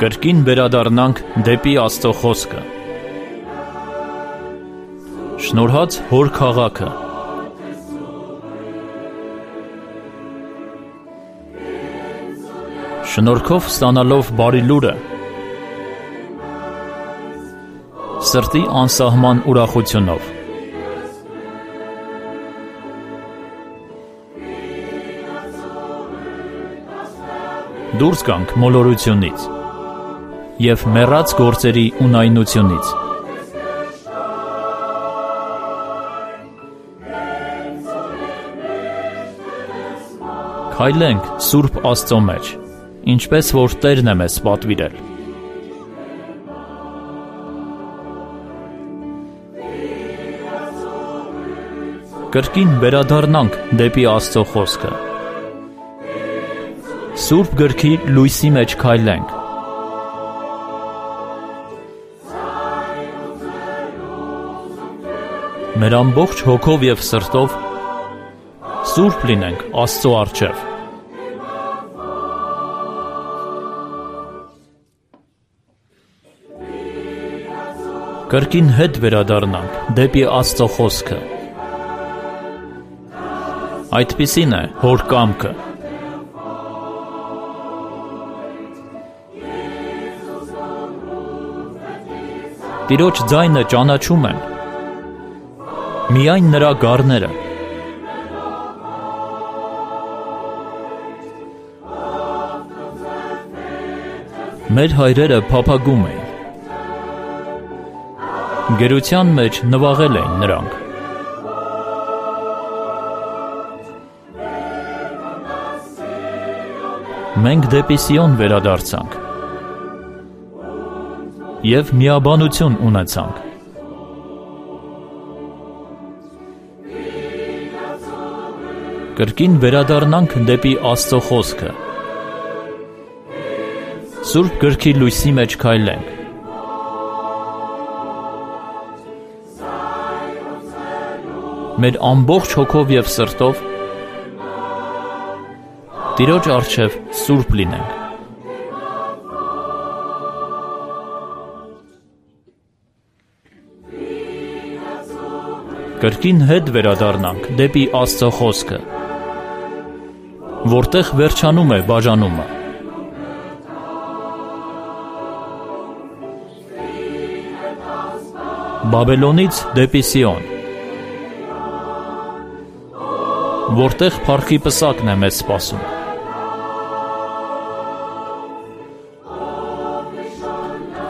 Կրկին վերադառնանք դեպի Աստծո խոսքը։ Շնորհած Հոր քաղաքը։ Շնորհքով ստանալով բարի լուրը, սրտի անսահման ուրախությունով։ Դուրս գանք մոլորությունից և մեռած գործերի ունայնությունից։ Քայլենք Սուրբ Աստծո մեջ, ինչպես որ Տերն է մեզ պատվիրել։ Կրկին վերադառնանք դեպի Աստծո խոսքը։ Սուրբ գրքի լույսի մեջ քայլենք։ Մեր ամբողջ հոգով և սրտով սուրբ լինենք Աստծո առջև։ Կրկին հետ վերադառնանք դեպի Աստծո խոսքը։ Այդպիսին է Հոր կամքը։ Տիրոջ ձայնը ճանաչում են միայն նրա գառները։ Մեր հայրերը փափագում էին, գերության մեջ նվաղել էին նրանք։ Մենք դեպի Սիոն վերադարձանք և միաբանություն ունեցանք։ Կրկին վերադառնանք դեպի Աստծո խոսքը։ Սուրբ գրքի լույսի մեջ քայլենք։ Մեր ամբողջ հոգով և սրտով Տիրոջ առջև սուրբ լինենք։ Կրկին հետ վերադառնանք դեպի Աստծո խոսքը, որտեղ վերջանում է բաժանումը։ Բաբելոնից դեպի Սիոն, որտեղ փառքի պսակն է մեզ սպասում։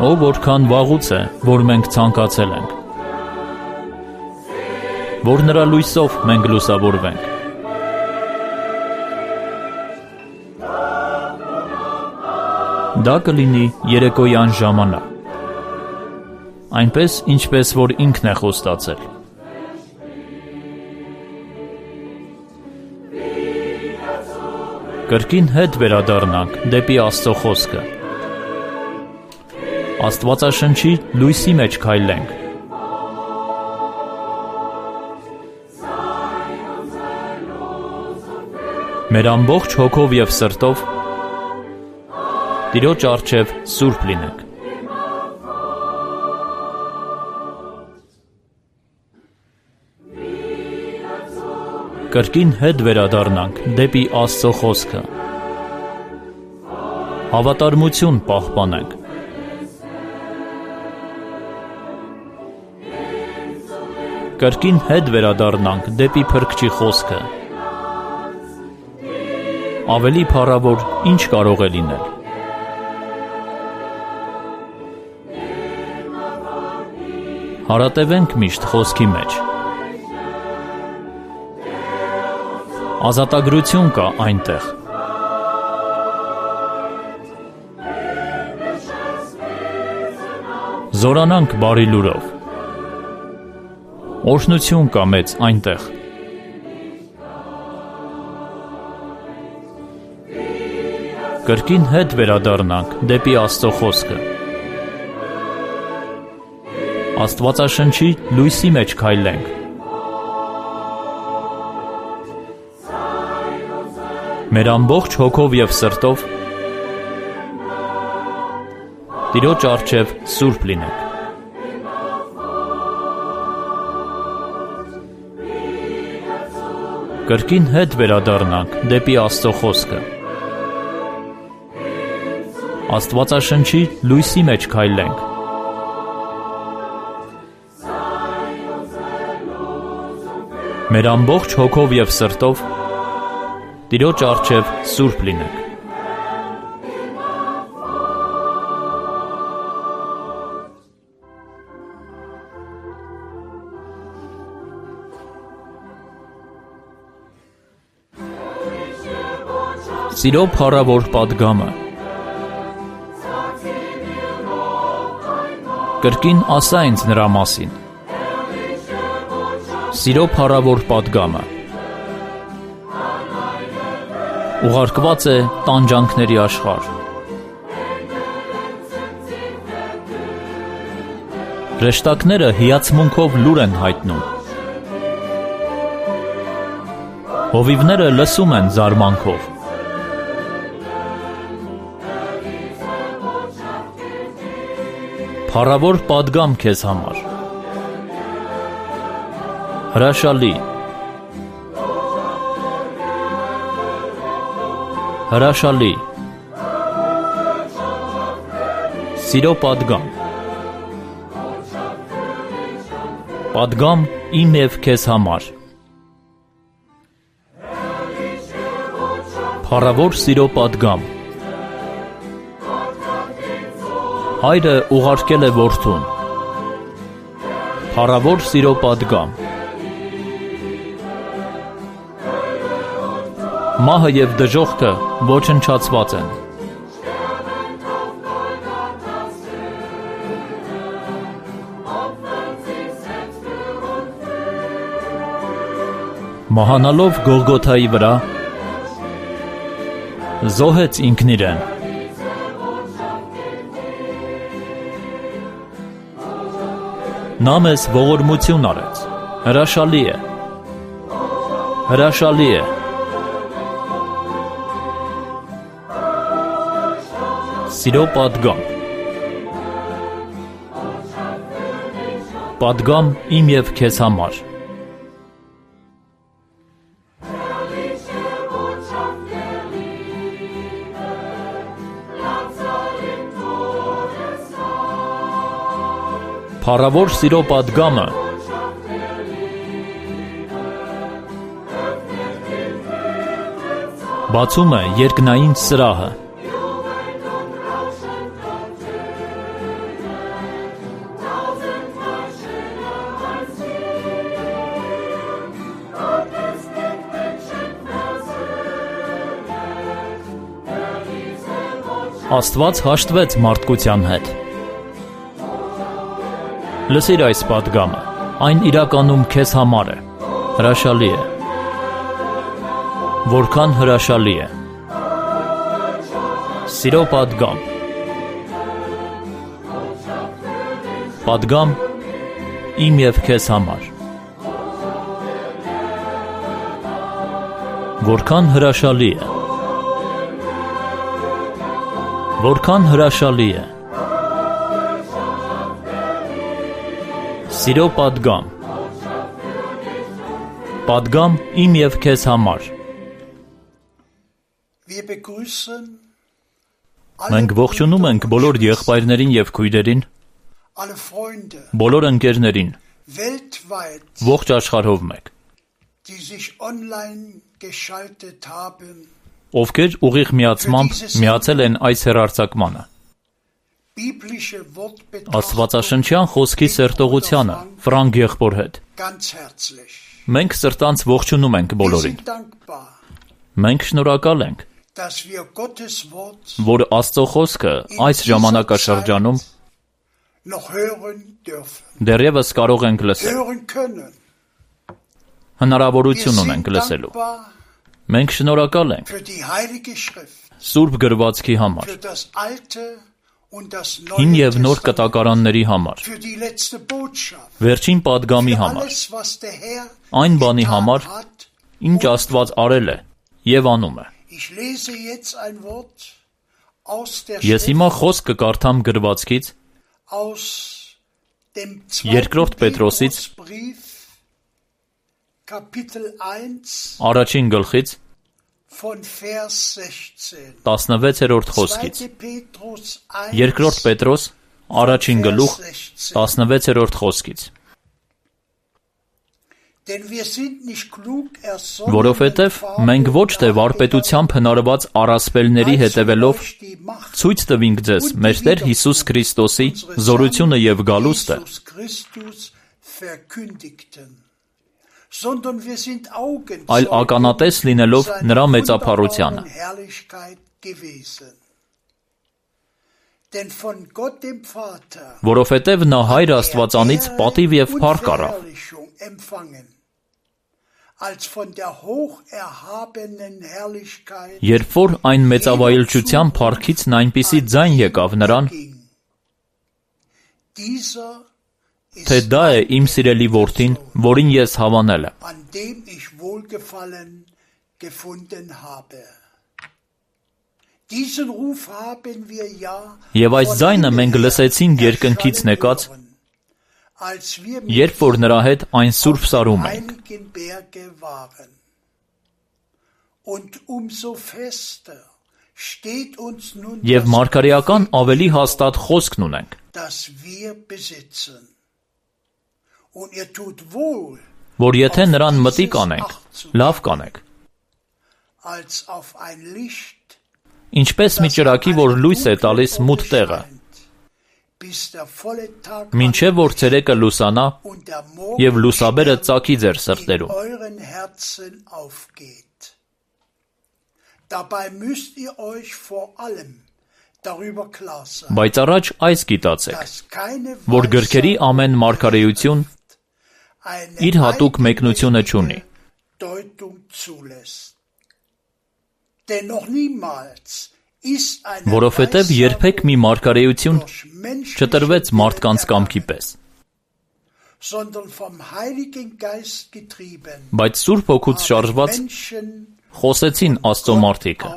Ո որքան վաղուց է, որ մենք ցանկացել ենք, որ նրա լույսով մենք լուսավորվենք։ Դա կլինի երեկոյան ժամանակ, այնպես, ինչպես որ ինքն է խոստացել։ Կրկին հետ վերադառնանք դեպի Աստծո խոսքը։ Աստվածաշնչի լույսի մեջ քայլենք։ Մեր ամբողջ հոգով և սրտով Տիրոջ առջև սուրբ լինենք։ Կրկին հետ վերադառնանք դեպի Աստծո խոսքը։ Հավատարմություն պահպանենք։ Կրկին հետ վերադառնանք դեպի Փրկչի խոսքը։ Ավելի փառավոր ինչ կարող է լինել։ Հարատևենք միշտ խոսքի մեջ։ Ազատագրություն կա այնտեղ։ Զորանանք բարի լուրով։ Օրհնություն կա մեծ այնտեղ։ Կրկին հետ վերադառնանք դեպի Աստծո խոսքը։ Աստվածաշնչի լույսի մեջ քայլենք։ Մեր ամբողջ հոգով և սրտով Տիրոջ առջև սուրբ լինենք։ Կրկին հետ վերադառնանք դեպի Աստծո խոսքը։ Աստվածաշնչի լույսի մեջ քայլենք։ Մեր ամբողջ հոգով և սրտով Տիրոջ առջև սուրբ լինենք։ Սիրո փառավոր պատգամը։ Կրկին ասա ինձ նրա մասին։ Սիրո փառավոր պատգամը ուղարկված է տանջանքների աշխարհ։ Հրեշտակները հիացմունքով լուր են հայտնում։ Հովիվները լսում են զարմանքով։ Փառավոր պատգամ քեզ համար։ Հրաշալի։ Հրաշալի։ Սիրո պատգամ։ Պատգամ իմ և քեզ համար։ Փառավոր սիրո պատգամ։ Հայրը ուղարկել է որդուն։ Փառավոր սիրո պատգամ։ Մահը և դժոխքը ոչնչացված են։ Մահանալով Գողգոթայի վրա զոհեց ինքն իրեն։ Նա մեզ ողորմություն արեց։ Հրաշալի է։ Հրաշալի է։ Սիրո պատգամ։ Պատգամ իմ և քեզ համար։ Փառավոր սիրո պատգամը բացում է երկնային սրահը։ Աստված հաշտվեց մարդկության հետ։ Լսիր այս պատգամը, այն իրականում քեզ համար է, հրաշալի է, որքան հրաշալի է, սիրո պատգամ, պատգամ իմ և քեզ համար, որքան հրաշալի է, որքան հրաշալի է, Սիրո պատգամ։ Պատգամ իմ և քեզ համար։ Մենք ողջունում ենք բոլոր եղբայրներին և քույրերին, բոլոր ընկերներին, ողջ աշխարհով մեկ, ովքեր ուղիղ միացմամբ միացել են այս հեռարձակմանը։ Աստվածաշնչյան խոսքի սերտողությանը Ֆրանկ եղբոր հետ։ Մենք սրտանց ողջունում ենք բոլորին։ Մենք շնորհակալ ենք, որ Աստծո խոսքը այս ժամանակաշրջանում դեռևս կարող ենք լսել։ Հնարավորություն ունենք լսելու։ Մենք շնորհակալ ենք Սուրբ գրվածքի համար, հին և նոր կտակարանների համար, վերջին պատգամի համար, այն բանի համար, ինչ Աստված արել է և անում է։ Ես հիմա խոսք կկարդամ գրվածքից Երկրորդ Պետրոսից առաջին գլխից 16-րդ խոսքից Երկրորդ Պետրոս առաջին գլուխ 16-րդ խոսքից Որովհետև մենք ոչ թե վարպետությամբ հնարված առասպելների հետևելով ցույց տվինք ձեզ մեր Տեր Հիսուս Քրիստոսի զորությունը և գալուստը, այլ ականատես լինելով նրա մեծափառությանը։ Որովհետև նա Հայր Աստվածանից պատիվ և փառք առավ, երբ որ այն մեծավայելչության փառքից այնպիսի ձայն եկավ նրան, թե դա է իմ սիրելի որդին, որին ես հավանել եմ։ Եվ այս ձայնը մենք լսեցինք երկնքից նեկած, երբ որ նրա հետ այն Սուրբ Սարում ենք։ Եվ մարգարեական ավելի հաստատ խոսքն ունենք, որ եթե նրան մտիկ անենք, լավ կանենք, ինչպես մի ճրագի, որ լույս է տալիս մութ տեղը, մինչև որ ցերեկը լուսանա և լուսաբերը ծագի ձեր սրտերում։ Բայց առաջ այս գիտացեք, որ գրքերի ամեն մարգարեություն իր հատուկ մեկնությունը չունի։ Որովհետև երբեք մի մարգարեություն չտրվեց մարդկանց կամքի պես, բայց Սուրբ Հոգուց շարժված խոսեցին Աստծո մարդիկը։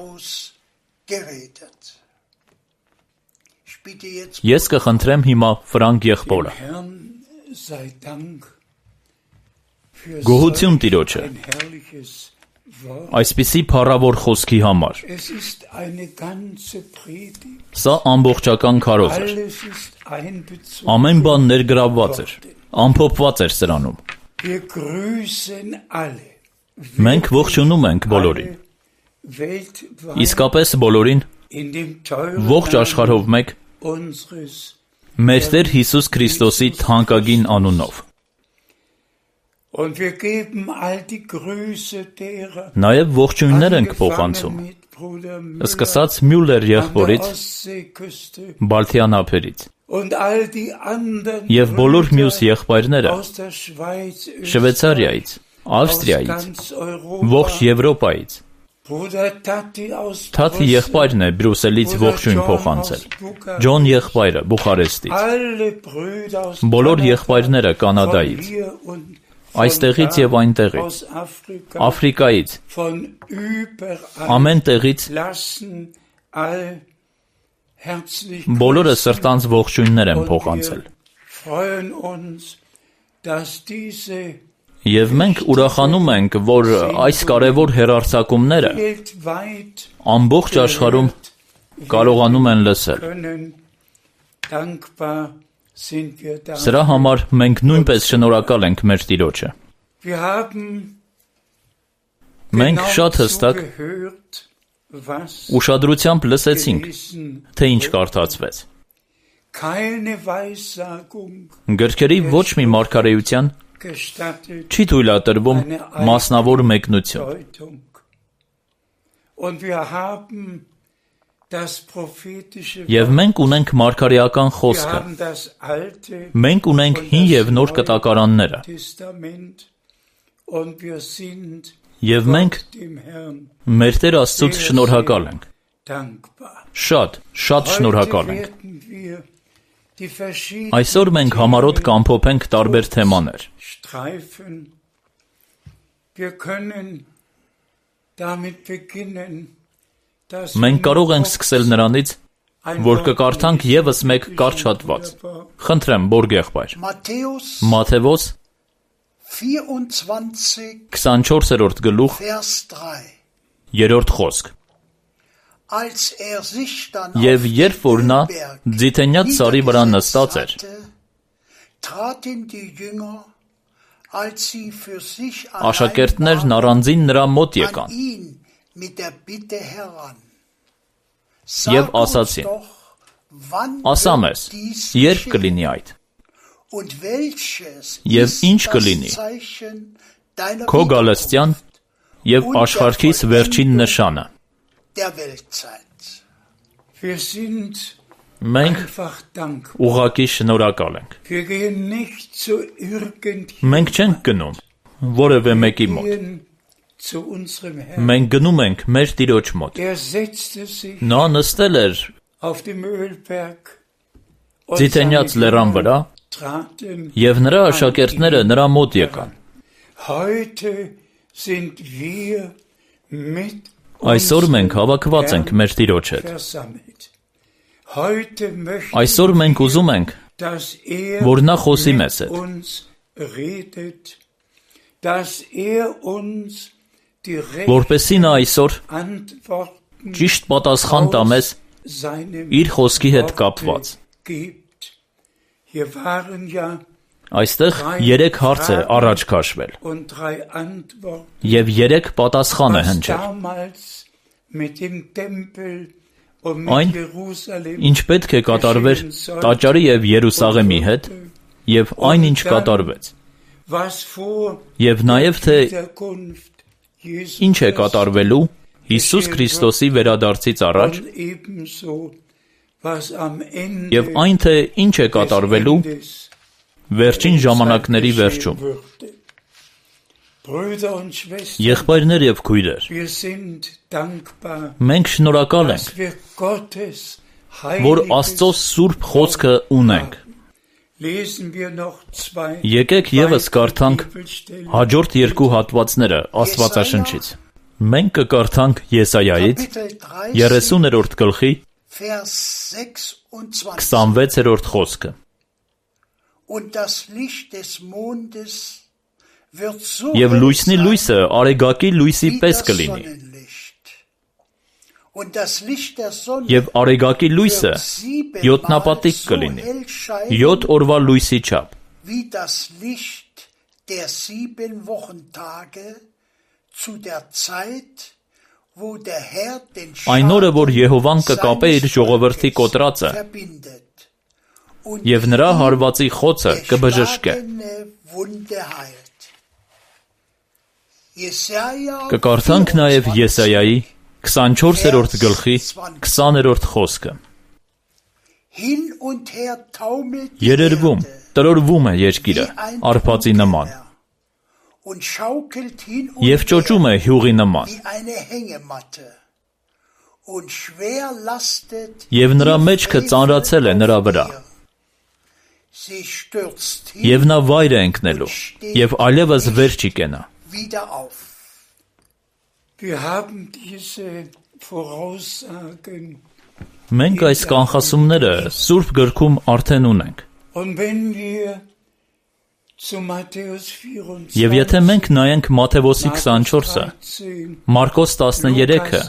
Ես կխնդրեմ հիմա Ֆրանկ եղբորը։ Գոհություն Տիրոջը այսպիսի փառավոր խոսքի համար։ Սա ամբողջական քարոզ էր։ Ամեն բան ներգրավված էր, ամփոփված էր սրանում։ Մենք ողջունում ենք բոլորին։ Իսկապես բոլորին, ողջ աշխարհով մեկ, մեր Տեր Հիսուս Քրիստոսի թանկագին անունով։ Նաև ողջույններ ենք փոխանցում, սկսած Մյուլլեր եղբորից, Բալթյան ափերից, և բոլոր մյուս եղբայրները Շվեյցարիայից, Ավստրիայից, ողջ Եվրոպայից, Թաթի եղբայրն է Բրյուսելից ողջույն փոխանցել, Ջոն եղբայրը Բուխարեստից, բոլոր եղբայրները Կանադայից, այստեղից և այնտեղից, Աֆրիկայից, ամեն տեղից, բոլորը սրտանց ողջույններ են փոխանցել։ Եվ մենք ուրախանում ենք, որ այս կարևոր հեռարձակումները ամբողջ աշխարհում կարողանում են լսել։ Սրա համար մենք նույնպես շնորհակալ ենք մեր Տիրոջը։ Մենք շատ հստակ ուշադրությամբ լսեցինք, թե ինչ կարդացվեց։ Գրքերի ոչ մի մարգարեության չի թույլատրվում մասնավոր մեկնություն։ Եվ մենք ունենք մարգարեական խոսքը, մենք ունենք հին և նոր կտակարանները, և մենք մեր Տեր Աստծուց շնորհակալ ենք, շատ շնորհակալ ենք։ Այսօր մենք համառոտ կամփոփենք տարբեր թեմաներ։ Մենք կարող ենք սկսել նրանից, որ կկարդանք ևս մեկ կարճ հատված։ Խնդրեմ, Բորգ եղբայր։ Մատթեոս 24-րդ գլուխ 3-րդ խոսք։ Եվ երբ որ նա Ձիթենյաց սարի վրա նստած էր, աշակերտներն առանձին նրա մոտ եկան և ասացին. ասա մեզ, երբ կլինի այդ, և ինչ կլինի քո գալստյան և աշխարհիս վերջին նշանը։ Մենք ուղղակի շնորհակալ ենք։ Մենք չենք գնում որևէ մեկի մոտ։ Մենք գնում ենք մեր Տիրոջ մոտ։ Նա նստել էր Ձիթենյաց լեռան վրա, և նրա աշակերտները նրա մոտ եկան։ Այսօր մենք հավաքված ենք մեր Տիրոջ հետ։ Այսօր մենք ուզում ենք, որ նա խոսի մեզ հետ, որպեսզի նա այսօր ճիշտ պատասխան տա մեզ իր խոսքի հետ կապված։ Այստեղ 3 հարց է առաջ քաշվել, և 3 պատասխան է հնչել։ Այն, ինչ պետք է կատարվեր տաճարի և Երուսաղեմի հետ, և այն, ինչ կատարվեց, և նաև թե ինչ է կատարվելու Հիսուս Քրիստոսի վերադարձից առաջ, և այն, թե ինչ է կատարվելու վերջին ժամանակների վերջում։ Եղբայրներ և քույրեր, մենք շնորհակալ ենք, որ Աստծո սուրբ խոսքը ունենք։ Եկեք ևս կարդանք հաջորդ 2 հատվածները Աստվածաշնչից։ Մենք կկարդանք Եսայայից 30-րդ գլխի 26-րդ խոսքը։ Եվ լույսնի լույսը արեգակի լույսի պես կլինի, և արեգակի լույսը 7-նապատիկ կլինի, 7 օրվա լույսի չափ։ Այն օրը, որ Եհովան կկապե իր ժողովրդի կոտրածը, և նրա հարվածի խոցը կբժշկե։ Կկարդանք նաև Եսայայի 24-րդ գլխի 20-րդ խոսքը։ Երերվում, տրորվում է երկիրը արփածի նման, և ճոճում է հյուղի նման, և նրա մեջքը ծանրացել է նրա վրա, և նա վայր է ընկնելու, և այլևս վեր չի կենա։ Մենք այս կանխասումները Սուրբ գրքում արդեն ունենք։ Եվ եթե մենք նայենք Մատթեոսի 24-ը, Մարկոս 13-ը,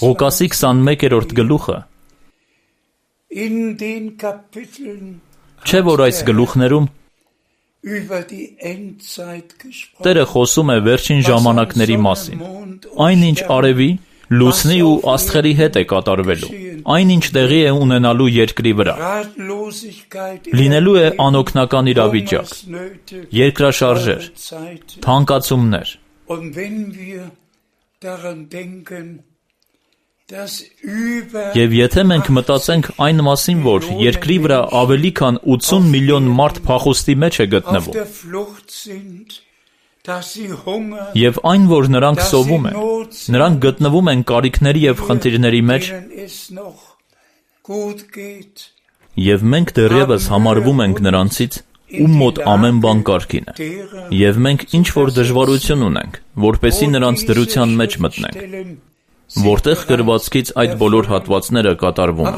Ղուկասի 21-րդ գլուխը, չէ՞ որ այս գլուխներում Տերը խոսում է վերջին ժամանակների մասին, այնինչ արևի, լուսնի ու աստղերի հետ է կատարվելու, այնինչ տեղի է ունենալու երկրի վրա։ Լինելու է անօգնական իրավիճակ, երկրաշարժեր, թանկացումներ։ Եվ եթե մենք մտածենք այն մասին, որ երկրի վրա ավելի քան 80 միլիոն մարդ փախուստի մեջ է գտնվում, և այն, որ նրանք սովում են, նրանք գտնվում են կարիքների և խնդիրների մեջ, և մենք դեռևս համարվում ենք նրանցից, ում մոտ ամեն բան կարգին է, և մենք ինչ-որ դժվարություն ունենք, որպեսզի նրանց դրության մեջ մտնենք, որտեղ գրվածքից այդ բոլոր հատվածները կատարվում են։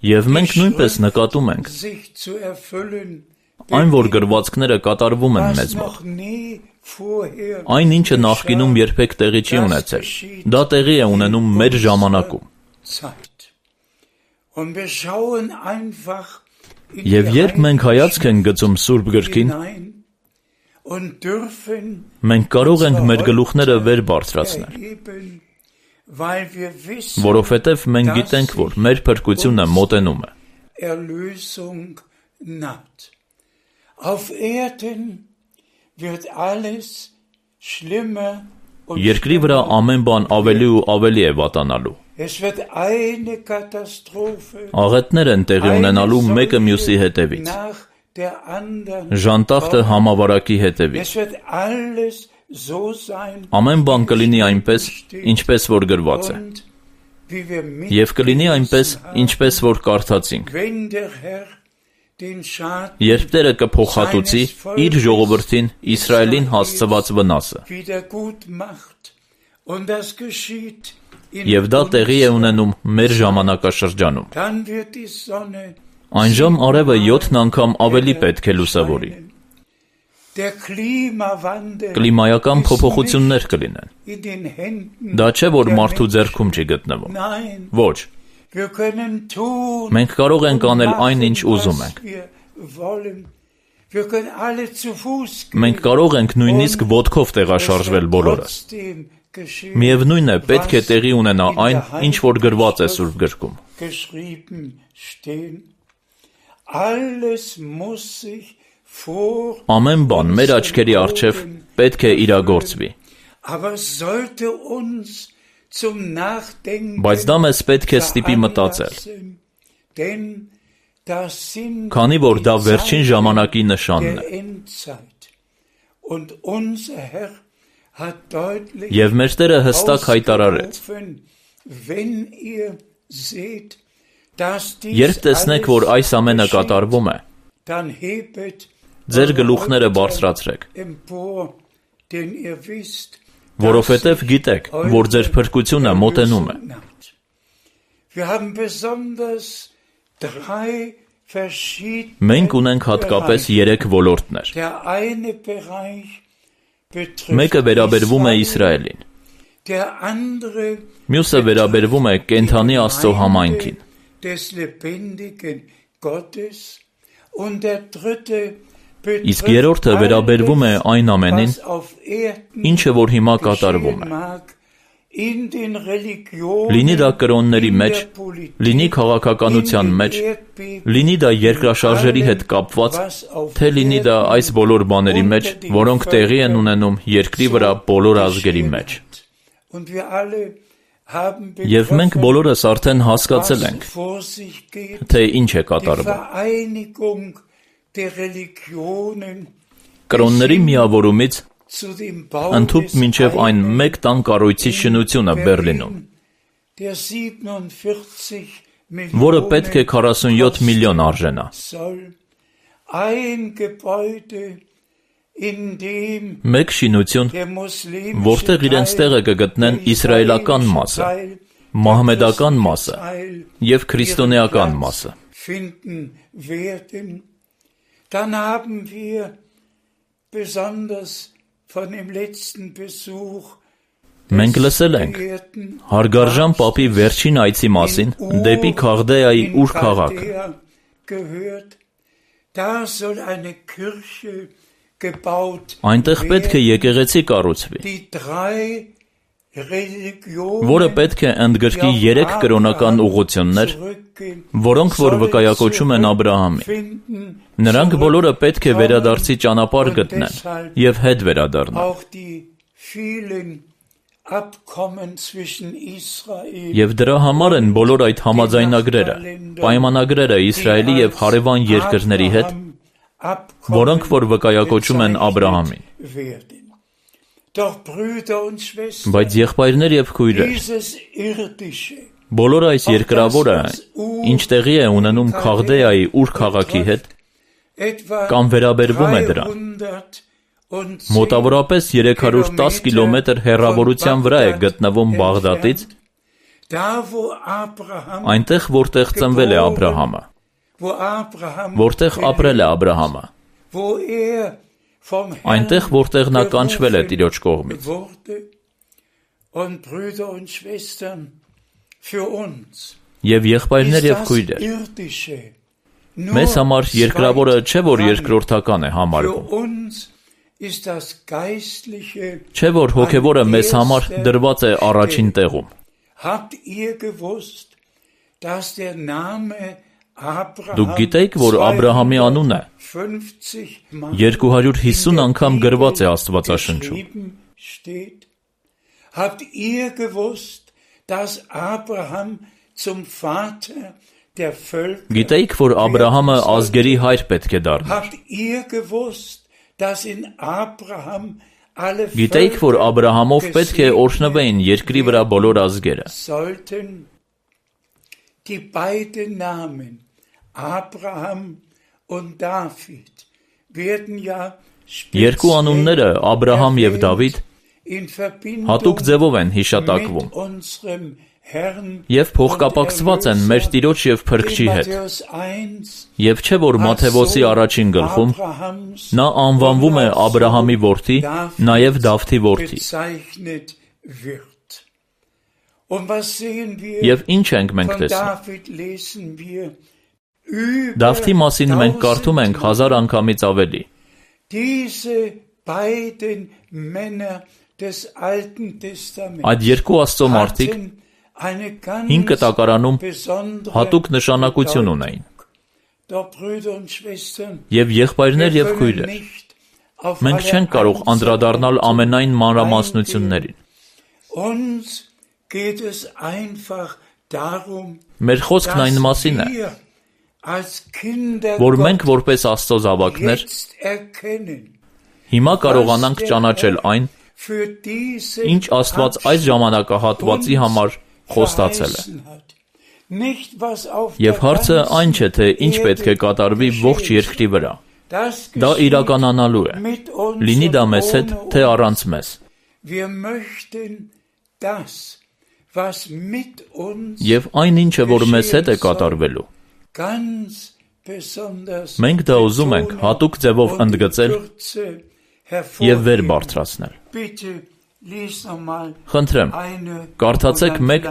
Եվ մենք նույնպես նկատում ենք, այն որ գրվածքները կատարվում են մեզ մոտ։ Այն ինչը նախկինում երբեք տեղի չի ունեցել, դա տեղի է ունենում մեր ժամանակում։ Եվ երբ մենք հայացք ենք գցում Սուրբ գրքին, մենք կարող ենք մեր գլուխները վեր բարձրացնել, որովհետև մենք գիտենք, որ մեր փրկությունը մոտենում է։ Երկրի վրա ամեն բան ավելի ու ավելի է վատանալու։ Աղետներ են տեղի ունենալու մեկը մյուսի հետևից, ժանտախտը համավարակի հետևից։ Ամեն բան կլինի այնպես, ինչպես որ գրված է, և կլինի այնպես, ինչպես որ կարդացինք։ Երբ Տերը կփոխհատուցի իր ժողովրդին Իսրայելին հասցված վնասը։ Եվ դա տեղի է ունենում մեր ժամանակաշրջանում։ Այնժամ արևը 7 անգամ ավելի պետք է լուսավորի։ Կլիմայական փոփոխություններ կլինեն։ Դա չէ, որ մարդու ձեռքում չի գտնվում։ Ոչ։ Մենք կարող ենք անել այն, ինչ ուզում ենք։ Մենք կարող ենք նույնիսկ ոտքով տեղաշարժվել բոլորս։ Միևնույն է, պետք է տեղի ունենա այն, ինչ որ գրված է Սուրբ գրքում։ Ամեն բան մեր աչքերի առջև պետք է իրագործվի։ Բայց դա մեզ պետք է ստիպի մտածել, քանի որ դա վերջին ժամանակի նշանն է։ Եվ մեր Տերը հստակ հայտարարեց. երբ տեսնեք, որ այս ամենը կատարվում է, ձեր գլուխները բարձրացրեք, որովհետև գիտեք, որ ձեր փրկությունը մոտենում է։ Մենք ունենք հատկապես 3 ոլորտներ։ Մեկը վերաբերվում է Իսրայելին, մյուսը վերաբերվում է կենդանի Աստծո համայնքին, իսկ երրորդը վերաբերվում է այն ամենին, ինչը որ հիմա կատարվում է։ Լինի դա կրոնների մեջ, լինի քաղաքականության մեջ, լինի դա երկրաշարժերի հետ կապված, թե լինի դա այս բոլոր բաների մեջ, որոնք տեղի են ունենում երկրի վրա բոլոր ազգերի մեջ։ Եվ մենք բոլորս արդեն հասկացել ենք, թե ինչ է կատարվում։ Կրոնների միավորումից ընդհուպ մինչև այն մեկ տան կառույցի շինությունը Բեռլինում, որը պետք է 47 միլիոն արժենա։ Մեկ շինություն, որտեղ իրենց տեղը կգտնեն իսրայելական մասը, մահմեդական մասը և քրիստոնեական մասը։ Մենք լսել ենք հարգարժան պապի վերջին այցի մասին դեպի Քաղդեայի Ուր քաղաքը։ Այնտեղ պետք է եկեղեցի կառուցվի, որը պետք է ընդգրկի 3 կրոնական ուղղություններ, որոնք որ վկայակոչում են Աբրահամին։ Նրանք բոլորը պետք է վերադարձի ճանապարհ գտնեն և հետ վերադառնան։ Եվ դրա համար են բոլոր այդ համաձայնագրերը, պայմանագրերը Իսրայելի և հարևան երկրների հետ, որոնք որ վկայակոչում են Աբրահամին։ Բայց եղբայրներ և քույրեր, բոլոր այս երկրավորը, ինչ տեղի է ունենում Քաղդեայի Ուր քաղաքի հետ, կամ վերաբերվում է դրան, Մոտավորապես 310 կիլոմետր հեռավորության վրա է գտնվում Բաղդադից, այնտեղ, որտեղ ծնվել է Աբրահամը, որտեղ ապրել է Աբրահամը, այնտեղ, որտեղ նա կանչվել է Տիրոջ կողմից։ Եվ եղբայրներ եւ քույրեր, մեզ համար երկրավորը չէ, որ երկրորդական է համարվում, չէ, որ հոգևորը մեզ համար դրված է առաջին տեղում։ Դուք գիտեք, որ Աբրահամի անունը 250 անգամ գրված է Աստվածաշնչում։ Գիտեիք, որ Աբրահամը ազգերի հայր պետք է դառնար։ Գիտեիք, որ Աբրահամով պետք է օրհնվեին երկրի վրա բոլոր ազգերը։ Երկու անունները Աբրահամ եւ Դավիթ հատուկ ձևով են հիշատակվում եւ փոխկապակցված են մեր Տիրոջ եւ Փրկչի հետ։ Եվ չէ, որ Մատթեոսի առաջին գլխում նա անվանվում է Աբրահամի որդի, նաեւ Դավթի որդի։ Եվ ինչ ենք մենք տեսնում։ Դավթի մասին մենք կարդում ենք 1000 անգամից ավելի։ Այդ երկու Աստծո մարդիկ հին կտակարանում հատուկ նշանակություն ունեին։ Եվ եղբայրներ եւ քույրեր, մենք չենք կարող անդրադառնալ ամենայն մանրամասնություններին։ Մեր խոսքն այն մասին է, որ մենք որպես Աստծո զավակներ հիմա կարողանանք ճանաչել այն, ինչ Աստված այս ժամանակահատվածի համար խոստացել է։ Եվ հարցը այն չէ, թե ինչ պետք է կատարվի ողջ երկրի վրա։ Դա իրականանալու է, լինի դա մեզ հետ, թե առանց մեզ։ Եվ այն ինչը, որ մեզ հետ է կատարվելու, մենք դա ուզում ենք հատուկ ձևով ընդգծել եւ վեր բարձրացնել։ Խնդրեմ, կարդացեք 1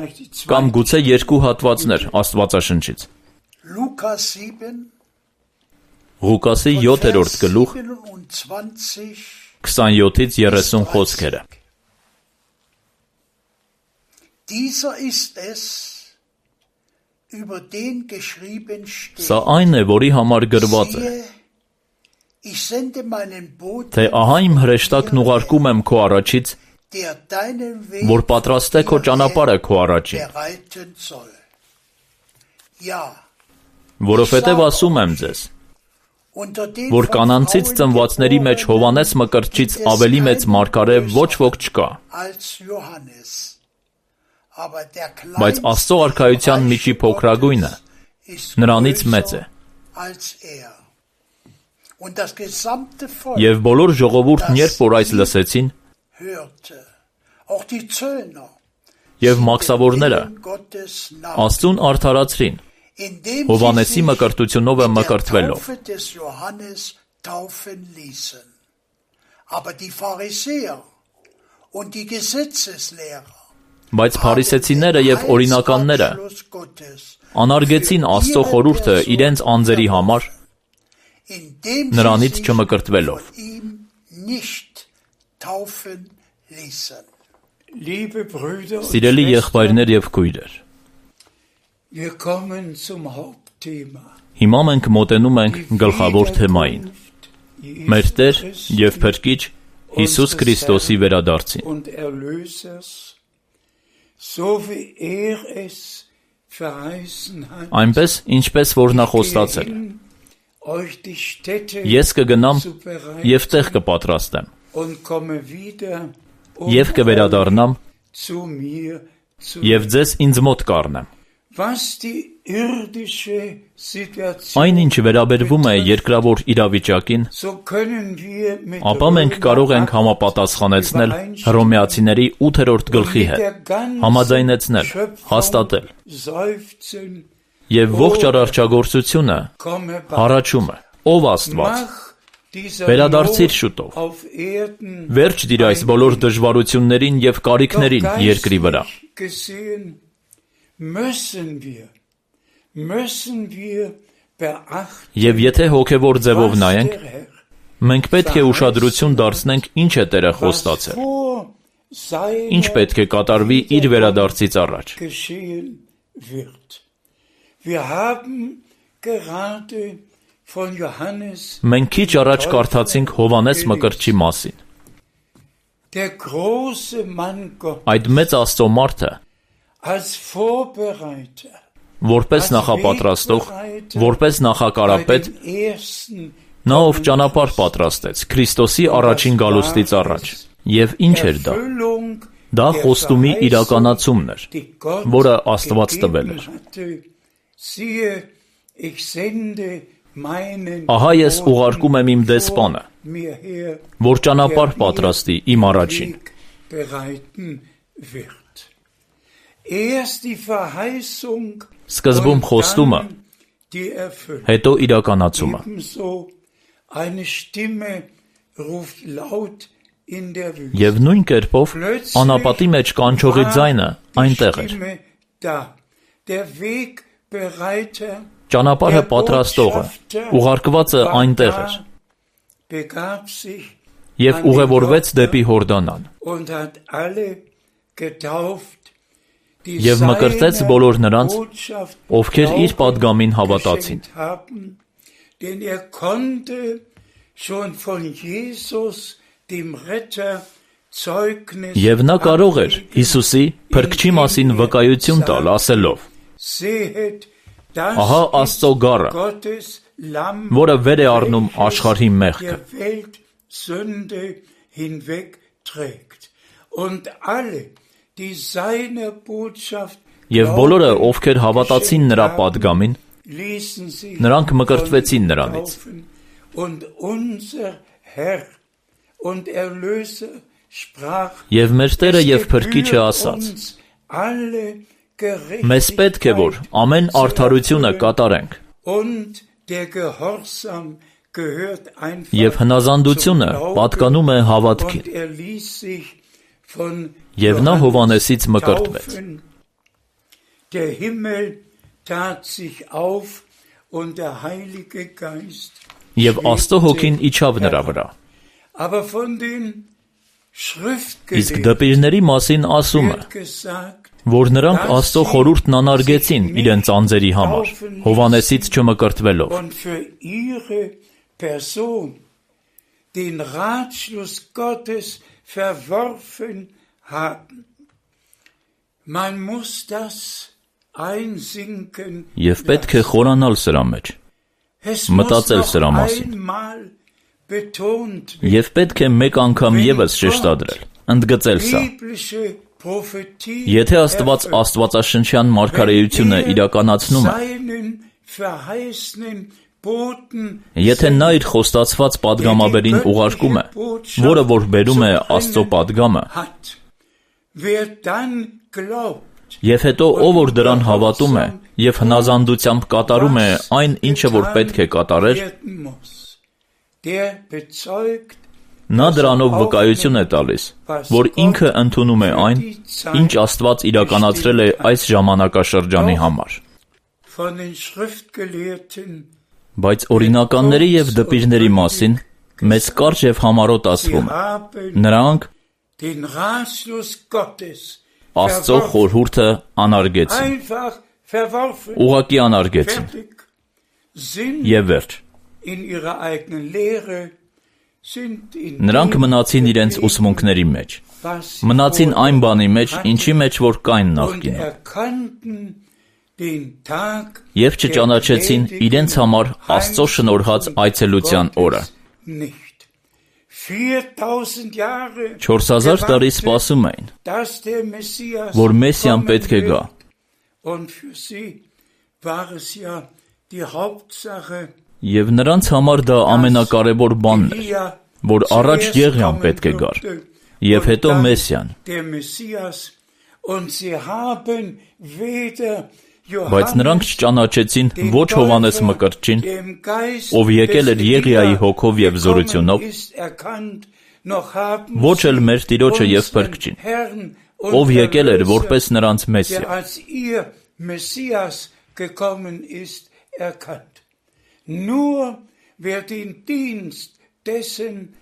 կամ գուցե 2 հատվածներ Աստվածաշնչից։ Ղուկասի 7-րդ գլուխ 27-ից 30 խոսքերը։ Սա այն է, որի համար գրված է, թե ահա իմ հրեշտակն ուղարկում եմ քո առաջից, որ պատրաստե քո ճանապարհը քո առաջին։ Որովհետև ասում եմ ձեզ, որ կանանցից ծնվածների մեջ Հովհաննես Մկրտչից ավելի մեծ մարգարե ոչ ոք չկա։ Բայց Աստծո արքայության միջի փոքրագույնը նրանից մեծ է։ Եվ բոլոր ժողովուրդն երբ որ այս լսեցին, եւ մաքսավորները Աստծուն արդարացրին, Հովհաննեսի մկրտությունով է մկրտվելով։ Բայց փարիսեցիները եւ օրինականները անարգեցին Աստծո խորհուրդը իրենց անձերի համար, նրանից չմկրտվելով։ Սիրելի եղբայրներ եւ քույրեր, հիմա մենք մոտենում ենք գլխավոր թեմային՝ մեր Տեր եւ Փրկիչ Հիսուս Քրիստոսի վերադարձին։ Այնպես, ինչպես որ նա խոստացել է։ Ես կգնամ եւ տեղ կպատրաստեմ, եւ կվերադառնամ եւ ձեզ ինձ մոտ կառնեմ։ Այն ինչ վերաբերվում է երկրավոր իրավիճակին, ապա մենք կարող ենք համապատասխանեցնել Հռոմեացիների 8-րդ գլխի հետ, համաձայնեցնել, հաստատել, եւ ողջ արարչագործությունը հառաչում է. ով Աստված, վերադարձիր շուտով, վերջ դիր այս բոլոր դժվարություններին եւ կարիքներին երկրի վրա։ Եվ եթե հոգևոր ձևով նայենք, մենք պետք է ուշադրություն դարձնենք ինչ է Տերը խոստացել, ինչ պետք է կատարվի իր վերադարձից առաջ։ Մենք քիչ առաջ կարդացինք Հովհաննես Մկրտչի մասին։ Այդ մեծ Աստծո մարդը, որպես նախապատրաստող, որպես նախակարապետ, նա ով ճանապարհ պատրաստեց Քրիստոսի առաջին գալուստից առաջ։ Եվ ինչ էր դա։ Դա խոստումի իրականացումն էր, որը Աստված տվել էր։ Ահա ես ուղարկում եմ իմ դեսպանը, որ ճանապարհ պատրաստի իմ առաջին։ Սկզբում խոստումը, հետո իրականացումը։ Եվ նույն կերպով անապատի մեջ կանչողի ձայնը այնտեղ էր։ Ճանապարհը պատրաստողը, ուղարկվածը այնտեղ էր։ Եվ ուղևորվեց դեպի Հորդանան։ Եվ մկրտեց բոլոր նրանց, ովքեր իր պատգամին հավատացին։ Եվ նա կարող էր Հիսուսի փրկչի մասին վկայություն տալ, ասելով. ահա Աստծո գառը, որը վեր է առնում աշխարհի մեղքը։ Եվ բոլորը, ովքեր հավատացին նրա պատգամին, նրանք մկրտվեցին նրանից։ Եվ մեր Տերը եւ Փրկիչը ասաց. մեզ պետք է, որ ամեն արդարությունը կատարենք, եւ հնազանդությունը պատկանում է հավատքին։ Եվ նա Հովհաննեսից մկրտվեց։ Եվ Աստծո հոգին իջավ նրա վրա։ Իսկ դպիրների մասին ասում է, որ նրանք Աստծո խորհուրդն անարգեցին իրենց անձերի համար, Հովհաննեսից չմկրտվելով։ Եվ պետք է խորանալ սրա մեջ, մտածել սրա մասին։ Եվ պետք է մեկ անգամ ևս շեշտադրել, ընդգծել սա։ Եթե Աստված աստվածաշնչյան մարգարեությունը իրականացնում է, եթե նա իր խոստացված պատգամաբերին ուղարկում է, որը որ բերում է Աստծո պատգամը, եւ հետո ով որ դրան հավատում է եւ հնազանդությամբ կատարում է այն, ինչը որ պետք է կատարեր, նա դրանով վկայություն է տալիս, որ ինքը ընդունում է այն, ինչ Աստված իրականացրել է այս ժամանակաշրջանի համար։ Բայց օրինականների եւ դպիրների մասին մեծ կարճ եւ համառոտ ասվում է. նրանք Աստծո խորհուրդը անարգեցին, ուղղակի անարգեցին, եւ վերջ։ Նրանք մնացին իրենց ուսմունքների մեջ, մնացին այն բանի մեջ, ինչի մեջ որ կային նախկինում, եւ չճանաչեցին իրենց համար Աստծո շնորհած այցելության օրը։ 4000 տարի սպասում էին, որ Մեսիան պետք է գա, Եվ նրանց համար դա ամենակարևոր բանն էր, որ առաջ Եղիան պետք է գար, և հետո Մեսիան։ Բայց նրանք չճանաչեցին ոչ Հովհաննես Մկրտչին, ով եկել էր Եղիայի հոգով և զորությունով, ոչ էլ մեր Տիրոջը և Փրկչին, ով եկել էր որպես նրանց Մեսիա։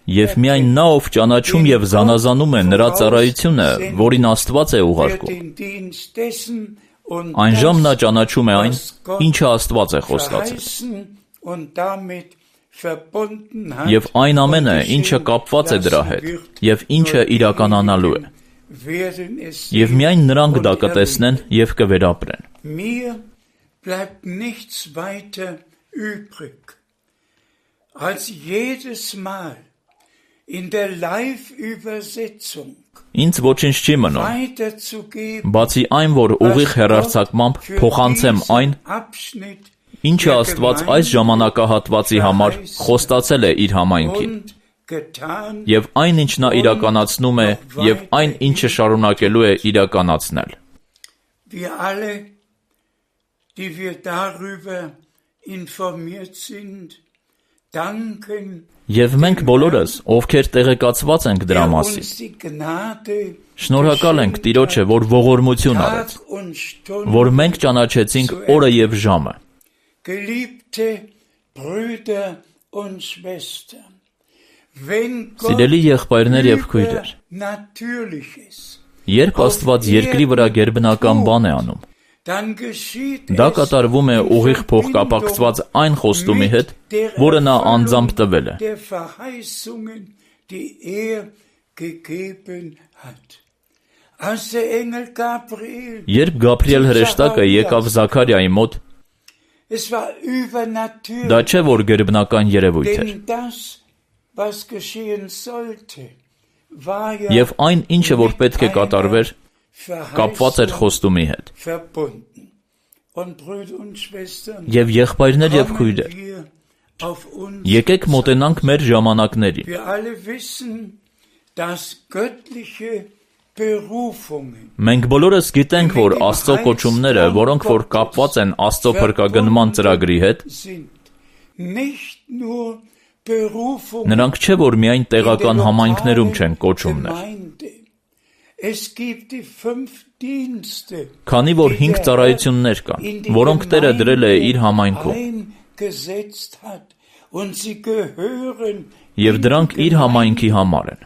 Եվ միայն նա, ով ճանաչում և զանազանում է նրա ծառայությունը, որին Աստված է ուղարկում, այնժամ նա ճանաչում է այն, ինչը Աստված է խոստացել։ Եվ այն ամենը, ինչը կապված է դրա հետ, և ինչը իրականանալու է։ Եվ միայն նրանք դա կտեսնեն և կվերապրեն։ Ինձ ոչինչ չի մնում, բացի այն, որ ուղիղ հեռարձակմամբ փոխանցեմ այն, ինչը Աստված այս ժամանակահատվածի համար խոստացել է իր համայնքին, և այն, ինչ նա իրականացնում է, և այն, ինչը շարունակելու է իրականացնել։ Եվ մենք բոլորս, ովքեր տեղեկացված ենք դրա մասին, շնորհակալ ենք Տիրոջը, որ ողորմություն արեց, որ մենք ճանաչեցինք օրը և ժամը։ Սիրելի եղբայրներ և քույրեր, երբ Աստված երկրի վրա գերբնական բան է անում, դա կատարվում է ուղիղ փոխկապակցված այն խոստումի հետ, որը նա անձամբ տվել է։ Երբ Գաբրիել հրեշտակը եկավ Զաքարիայի մոտ, դա չէ, որ գերբնական երևույթ էր։ Եվ այն, ինչը որ պետք է կատարվեր, կապված էր խոստումի հետ։ Եվ եղբայրներ և քույրեր, եկեք մոտենանք մեր ժամանակներին։ Մենք բոլորս գիտենք, որ Աստծո կոչումները, որոնք որ կապված են Աստծո փրկագնման ծրագրի հետ, նրանք չէ, որ միայն տեղական համայնքներում չեն կոչումներ։ Քանի որ 5 ծառայություններ կան, որոնք Տերը դրել է իր համայնքում, և դրանք իր համայնքի համար են։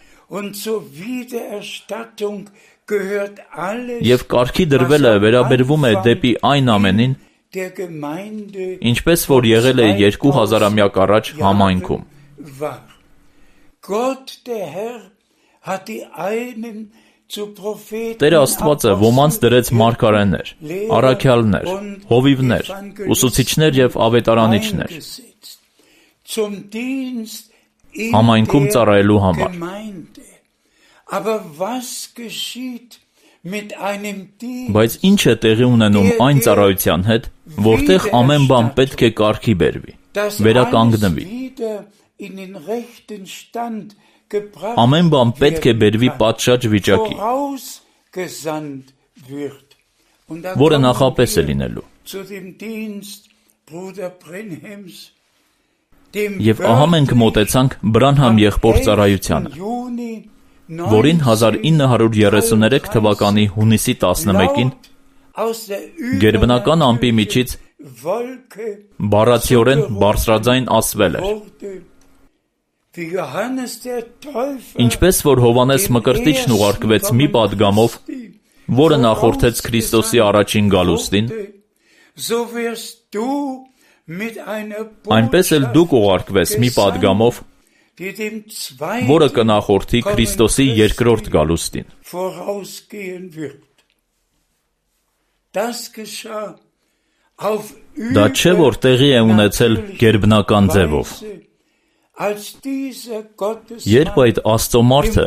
Եվ կարգի դրվելը վերաբերվում է դեպի այն ամենին, ինչպես որ եղել է 2000-ամյակ առաջ համայնքում։ Տեր Աստվածը ոմանց դրեց մարգարեներ, առաքյալներ, հովիվներ, ուսուցիչներ և ավետարանիչներ, համայնքում ծառայելու համար։ Բայց ինչ է տեղի ունենում այն ծառայության հետ, որտեղ ամեն բան պետք է կարգի բերվի, վերականգնվի։ Ամեն բան պետք է բերվի պատշաճ վիճակի, որը նախապես է լինելու։ Եվ ահա մենք մոտեցանք Բրանհամ եղբոր ծառայությանը, որին 1933 թվականի հունիսի 11-ին գերբնական ամպի միջից բառացիորեն բարձրաձայն ասվել էր։ Ինչպես որ Հովհաննես Մկրտիչն ուղարկվեց մի պատգամով, որը նախորդեց Քրիստոսի առաջին գալուստին, այնպես էլ դուք ուղարկվես մի պատգամով, որը կնախորդի Քրիստոսի երկրորդ գալուստին։ Դա չէ, որ տեղի է ունեցել գերբնական ձևով։ Երբ այդ Աստծո մարդը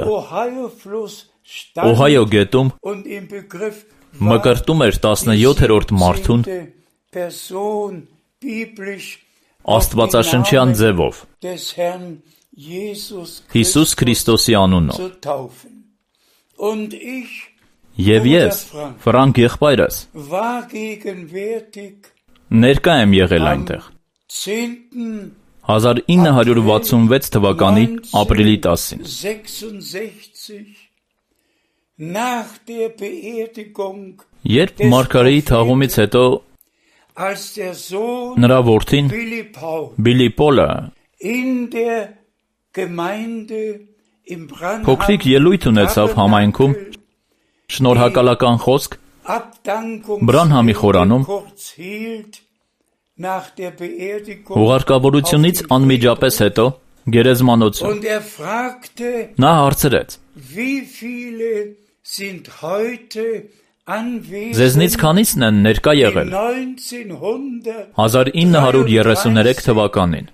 Օհայո գետում մկրտում էր 17-րդ մարդուն Աստվածաշնչյան ձևով Հիսուս Քրիստոսի անունով և ես, Ֆրանկ եղբայրս, ներկա եմ եղել այնտեղ 1966 թվականի ապրիլի 10-ին։ Երբ Մարգարեի թաղումից հետո նրա որդին Բիլի Պոլը փոքրիկ ելույթ ունեցավ համայնքում, շնորհակալական խոսք Բրանհամի խորանում, հուղարկավորությունից անմիջապես հետո գերեզմանոցում նա հարցրեց. Ձեզնից քանիսն են ներկա եղել 1933 թվականին։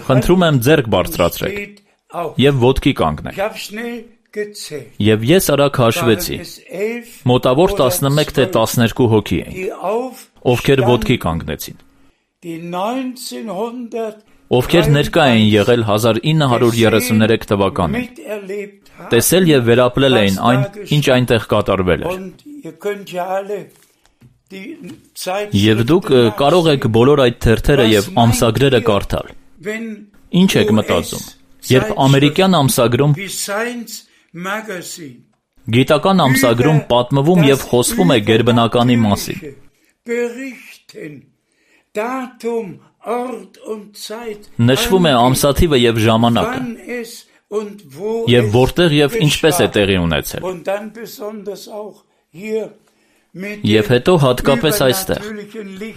Խնդրում եմ ձեռք բարձրացրեք և ոտքի կանգնեք։ Եվ ես արագ հաշվեցի, մոտավոր 11 թե 12 հոգի էին, ովքեր ոտքի կանգնեցին, ովքեր ներկա էին եղել 1933 թվականին, տեսել և վերապրել էին այն, ինչ այնտեղ կատարվել էր։ Եվ դուք կարող եք բոլոր այդ թերթերը և ամսագրերը կարդալ։ Ինչ եք մտածում, երբ ամերիկյան ամսագրում, գիտական ամսագրում պատմվում և խոսվում է գերբնականի մասին, նշվում է ամսաթիվը և ժամանակը, և որտեղ և ինչպես է տեղի ունեցել։ Եվ հետո հատկապես այստեղ,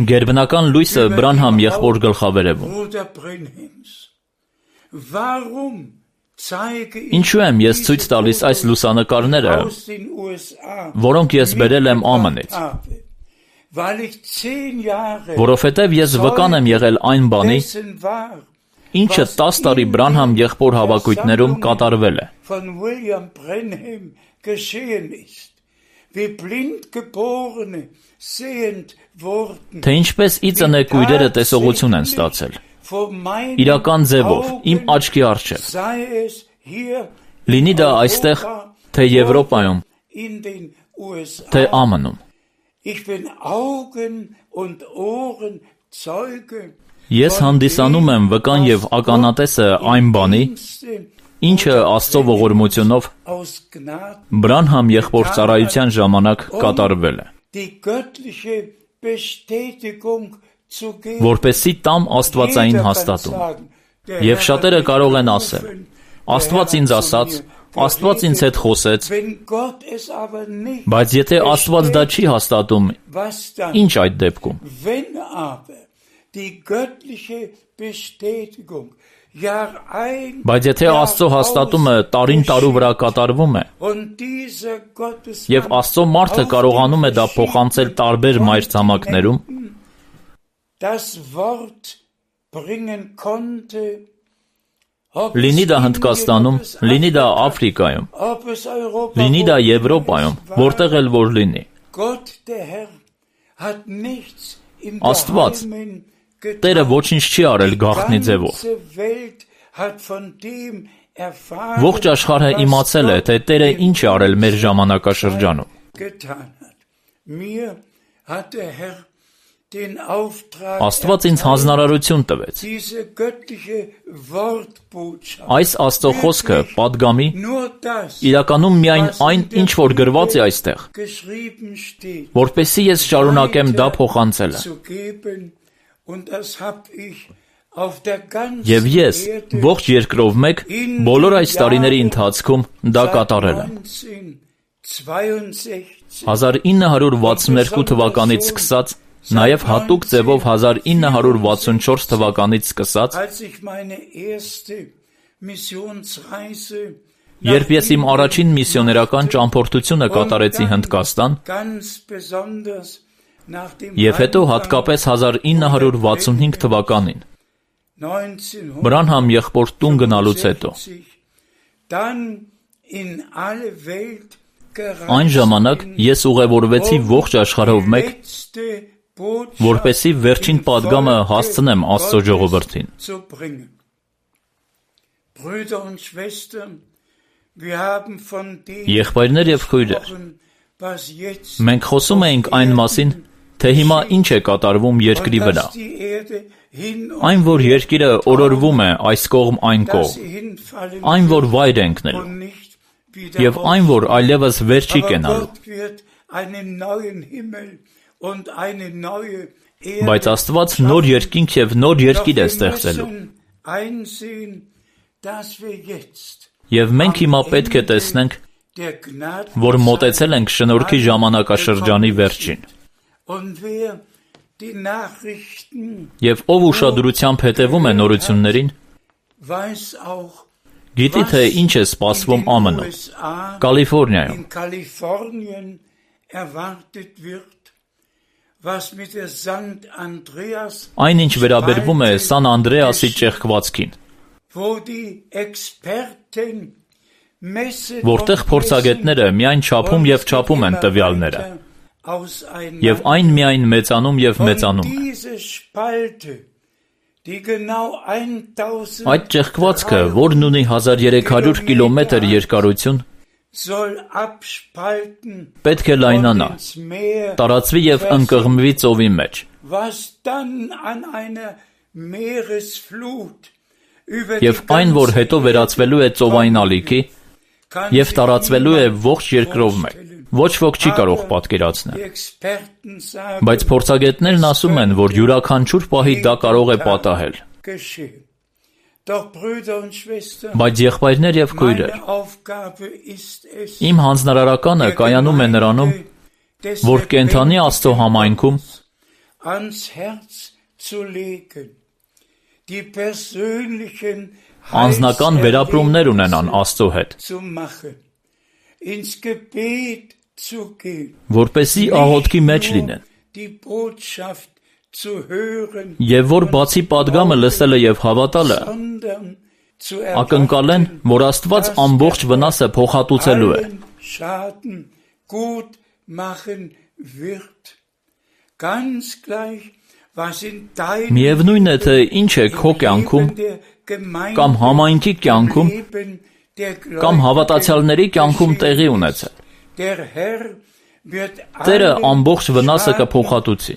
գերբնական լույսը Բրանհամ եղբոր գլխավերևում։ Ինչու եմ ես ցույց տալիս այս լուսանկարները, որոնք ես բերել եմ ԱՄՆ-ից, որովհետև ես վկան եմ եղել այն բանի, ինչը 10 տարի Բրանհամ եղբոր հավաքույթներում կատարվել է։ Թե ինչպես ի ծնե կույրերը տեսողություն են ստացել, իրական ձևով, իմ աչքի առջև, լինի դա այստեղ, թե Եվրոպայում, թե ԱՄՆ-ում։ Ես հանդիսանում եմ վկան և ականատեսը այն բանի, ինչը Աստծո ողորմությունով Բրանհամ եղբոր ծառայության ժամանակ կատարվել է, որպեսզի տամ աստվածային հաստատում։ Եվ շատերը կարող են ասել. Աստված ինձ ասաց, Աստված ինձ հետ խոսեց, բայց եթե Աստված դա չի հաստատում, ինչ այդ դեպքում։ Բայց եթե Աստծո հաստատումը տարին տարու վրա կատարվում է, և Աստծո մարդը կարողանում է դա փոխանցել տարբեր մայրցամաքներում, լինի դա Հնդկաստանում, լինի դա Աֆրիկայում, լինի դա Եվրոպայում, որտեղ էլ որ լինի, Աստված, Տերը ոչինչ չի արել գաղտնի ձևով։ Ողջ աշխարհը իմացել է, թե Տերը ինչ է արել մեր ժամանակաշրջանում։ Աստված ինձ հանձնարարություն տվեց այս Աստծո խոսքը պատգամի, իրականում միայն այն, ինչ որ գրված է այստեղ, որպեսզի ես շարունակեմ դա փոխանցելը։ Եվ ես ողջ երկրով մեկ բոլոր այս տարիների ընթացքում դա կատարել եմ։ 1962 թվականից սկսած, նաև հատուկ ձևով 1964 թվականից սկսած, երբ ես իմ առաջին միսիոներական ճամփորդությունը կատարեցի Հնդկաստան, և հետո հատկապես 1965 թվականին, Բրանհամ եղբոր տուն գնալուց հետո, Այն ժամանակ ես ուղևորվեցի ողջ աշխարհով մեկ, որպեսզի վերջին պատգամը հասցնեմ Աստծո ժողովրդին։ Եղբայրներ եւ քույրեր, մենք խոսում էինք այն մասին, թե հիմա ինչ է կատարվում երկրի վրա։ Այն, որ երկիրը օրորվում է այս կողմ այն կողմ, այն, որ վայր է ընկնելու, եւ այն, որ այլևս վեր չի կենալու։ Բայց Աստված նոր երկինք եւ նոր երկիր է ստեղծելու։ Եվ մենք հիմա պետք է տեսնենք, որ մոտեցել ենք շնորհքի ժամանակաշրջանի վերջին։ Եվ ով ուշադրությամբ հետևում է նորություններին, գիտի, թե ինչ է սպասվում ԱՄՆ-ում, Կալիֆոռնիայում։ Այն, ինչ վերաբերվում է Սան Անդրեասի ճեղքվածքին, որտեղ փորձագետները միայն չափում եւ չափում են տվյալները, եւ այն միայն մեծանում եւ մեծանում է։ Այդ ճեղքվածքը, որն ունի 1300 կիլոմետր երկարություն, պետք է լայնանա, տարածվի եւ ընկղմվի ծովի մեջ։ Եվ այն, որ հետո վերածվելու է ծովային ալիքի եւ տարածվելու է ողջ երկրով մեկ, ոչ ոք չի կարող պատկերացնել։ Բայց փորձագետներն ասում են, որ յուրաքանչյուր պահի դա կարող է պատահել։ Բայց եղբայրներ եւ քույրեր, իմ հանձնարարականը կայանում է նրանում, որ կենդանի Աստծո համայնքում անձնական վերապրումներ ունենան Աստծո հետ, որպեսզի աղոթքի մեջ լինեն, եւ որ բացի պատգամը լսելը եւ հավատալը, ակնկալեն, որ Աստված ամբողջ վնասը փոխհատուցելու է։ Միևնույն է, թե ինչ է քո կյանքում, կամ համայնքի կյանքում, կամ հավատացյալների կյանքում տեղի ունեցել։ Տերը ամբողջ վնասը կփոխհատուցի։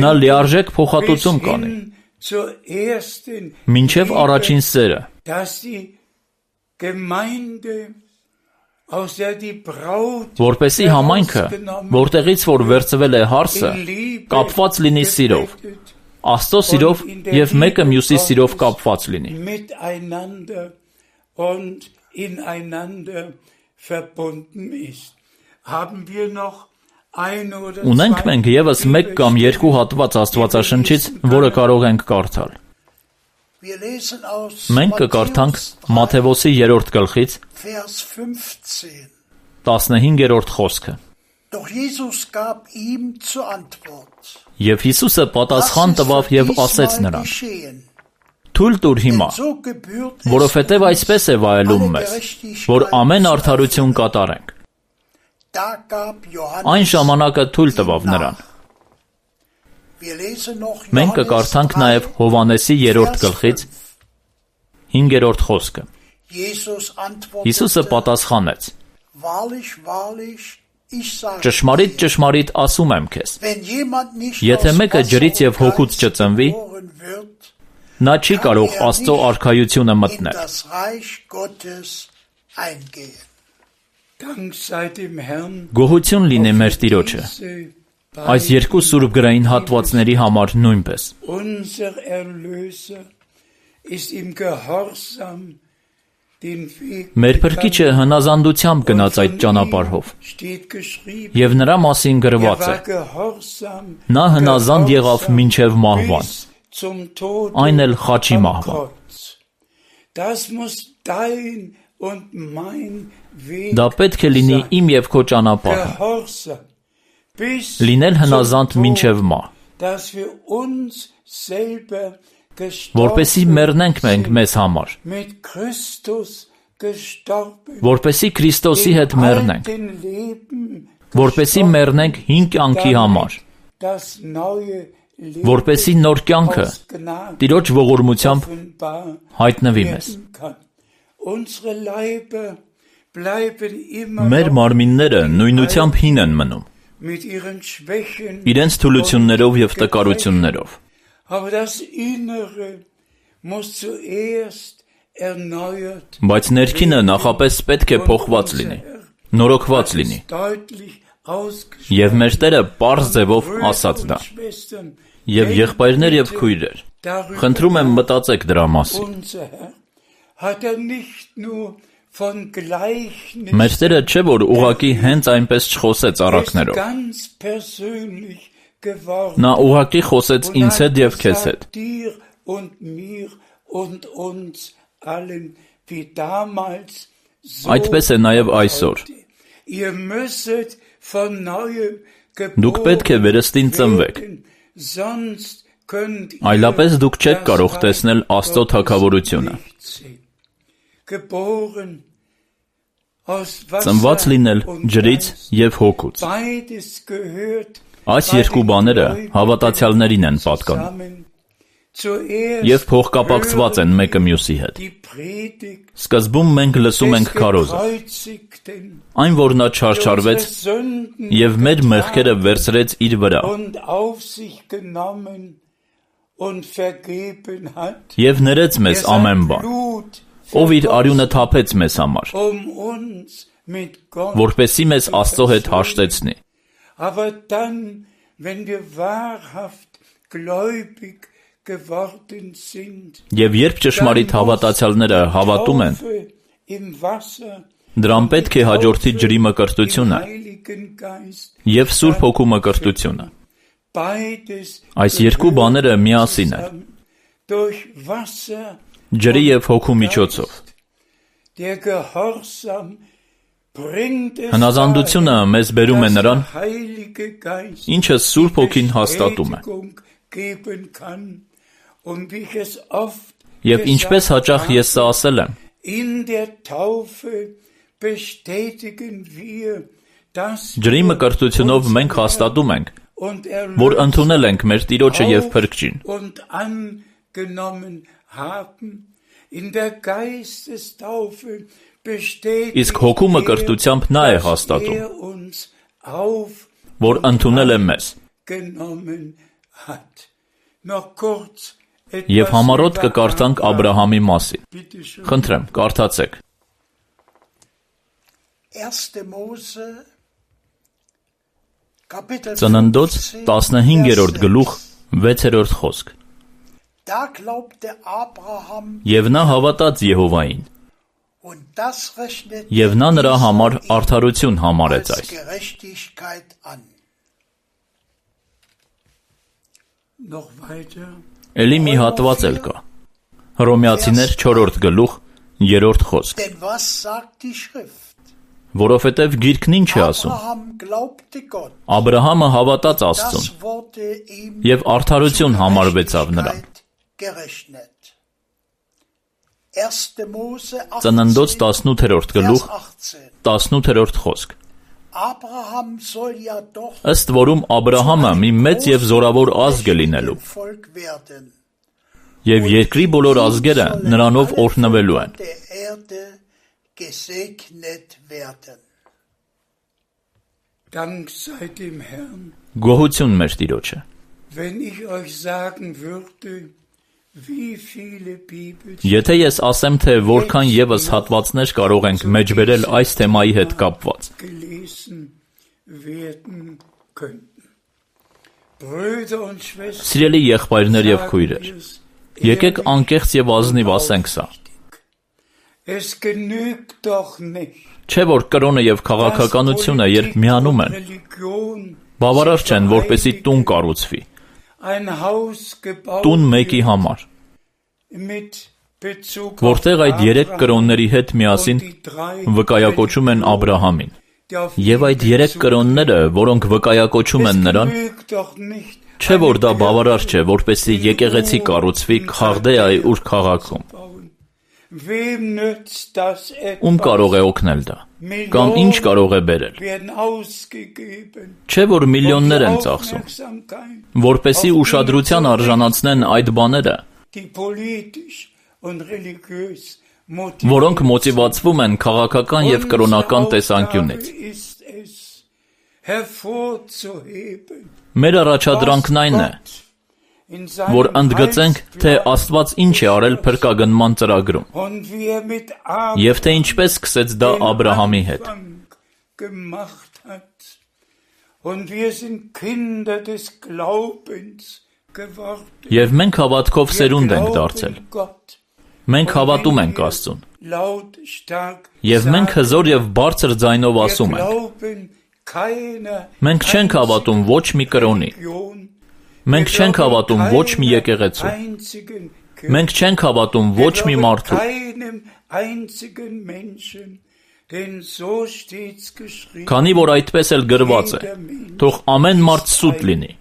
Նա լիարժեք փոխհատուցում կանի, մինչև առաջին սերը, որպեսզի համայնքը, որտեղից որ վերցվել է հարսը, կապված լինի սիրով, Աստծո սիրով եւ մեկը մյուսի սիրով կապված լինի։ Ունենք մենք եւս մեկ կամ երկու հատված Աստվածաշնչից, որը կարող ենք կարդալ։ Մենք կկարդանք Մատթեոսի 3-րդ գլխից 15-րդ խոսքը։ Եվ Հիսուսը պատասխան տվավ եւ ասեց նրան. «Թույլ տուր հիմա, որովհետև այսպես է վայելում մեզ, որ ամեն արդարություն կատարենք»։ Այն ժամանակը թույլ տվավ նրան։ Մենք կկարդանք նաև Հովհաննեսի 3-րդ գլխից 5-րդ խոսքը։ Հիսուսը պատասխանեց. «Ճշմարիտ, ճշմարիտ ասում եմ քեզ, եթե մեկը ջրից եւ հոգուց չծնվի, նա չի կարող Աստծո արքայությունը մտնել»։ Գոհություն լինի մեր Տիրոջը, այս երկու սուրբ գրային հատվածների համար նույնպես։ Մեր Փրկիչը հնազանդությամբ գնաց այդ ճանապարհով, եւ նրա մասին գրված է. նա հնազանդ եղավ մինչև մահվան, այն էլ խաչի մահվան։ Դա պետք է լինի իմ եւ քո ճանապարհը, լինել հնազանդ մինչև մահ, որպեսզի մեռնենք մենք մեզ համար, որպեսզի Քրիստոսի հետ մեռնենք, որպեսզի մեռնենք հին կյանքի համար, որպեսզի նոր կյանքը Տիրոջ ողորմությամբ հայտնվի մեզ։ Մեր մարմինները նույնությամբ հին են մնում, իրենց թուլություններով և տկարություններով, բայց ներքինը նախապես պետք է փոխված լինի, նորոգված լինի, և մեր Տերը պարզ ձևով ասաց դա։ Եվ եղբայրներ և քույրեր, խնդրում եմ մտածեք դրա մասին։ Մեր Տերը չէ, որ ուղղակի հենց այնպես չխոսեց առակներով։ Նա ուղղակի խոսեց ինձ հետ և քեզ հետ։ Այդպես է նաև այսօր։ Դուք պետք է վերստին ծնվեք, այլապես դուք չեք կարող տեսնել Աստծո թագավորությունը։ Ծնված լինել ջրից և հոգուց։ Այս երկու բաները հավատացյալներին են պատկանում և փոխկապակցված են մեկը մյուսի հետ։ Սկզբում մենք լսում ենք քարոզը, այն, որ նա չարչարվեց և մեր մեղքերը վերցրեց իր վրա և ներեց մեզ ամեն բան, ով իր արյունը թափեց մեզ համար, որպեսզի մեզ Աստծո հետ հաշտեցնի։ Եվ երբ ճշմարիտ հավատացյալները հավատում են, դրան պետք է հաջորդի ջրի մկրտությունը և Սուրբ Հոգու մկրտությունը։ Այս երկու բաները միասին են, ջրի և հոգու միջոցով։ Հնազանդությունը մեզ բերում է նրան, ինչը Սուրբ Հոգին հաստատում է։ Եվ ինչպես հաճախ ես սա ասել եմ, ջրի մկրտությունով մենք հաստատում ենք, որ ընդունել ենք մեր Տիրոջը և Փրկչին։ Իսկ հոգու մկրտությամբ նա է հաստատում, որ ընդունել է մեզ։ Եվ համառոտ կկարդանք Աբրահամի մասին։ Խնդրեմ, կարդացեք։ Ծննդոց 15-րդ գլուխ 6-րդ խոսք։ Եվ նա հավատաց Եհովային, և նա նրա համար արդարություն համարեց այս։ Էլի մի հատված էլ կա։ Հռոմեացիներ 4-րդ գլուխ 3-րդ խոսք։ Որովհետև Գիրքն ինչ է ասում։ Աբրահամը հավատաց Աստծուն, և արդարություն համարվեցավ նրան։ Ծննդոց 18-րդ գլուխ 18-րդ խոսք։ Ըստ որում Աբրահամը մի մեծ և զորավոր ազգ է լինելու, և երկրի բոլոր ազգերը նրանով օրհնվելու են։ Գոհություն մեր Տիրոջը։ Եթե ես ասեմ, թե որքան ևս հատվածներ կարող ենք մեջբերել այս թեմայի հետ կապված։ Սիրելի եղբայրներ և քույրեր, եկեք անկեղծ և ազնիվ ասենք սա։ Չէ՞ որ կրոնը և քաղաքականությունը, երբ միանում են, բավարար չեն, որպեսզի տուն կառուցվի, տուն մեկի համար, որտեղ այդ 3 կրոնների հետ միասին վկայակոչում են Աբրահամին, և այդ 3 կրոնները, որոնք վկայակոչում են նրան, Չէ որ դա բավարար չէ, որպեսզի եկեղեցի կառուցվի Խաղդեայի Ուր քաղաքում։ Ում կարող է օգնել դա, կամ ինչ կարող է բերել։ Չէ որ միլիոններ են ծախսում, որպեսզի ուշադրության արժանացնեն այդ բաները, որոնք մոտիվացվում են քաղաքական և կրոնական տեսանկյունից։ Մեր առաջադրանքն այն է, որ ընդգծենք, թե Աստված ինչ է արել փրկագնման ծրագրում, և թե ինչպես սկսեց դա Աբրահամի հետ։ Եվ մենք հավատքով սերունդ ենք դարձել։ Մենք հավատում ենք Աստծուն։ Եվ մենք հզոր և բարձր ձայնով ասում ենք. մենք չենք հավատում ոչ մի կրոնի, մենք չենք հավատում ոչ մի եկեղեցու, մենք չենք հավատում ոչ մի մարդու, քանի որ այդպես էլ գրված է, թող ամեն մարդ սուտ լինի։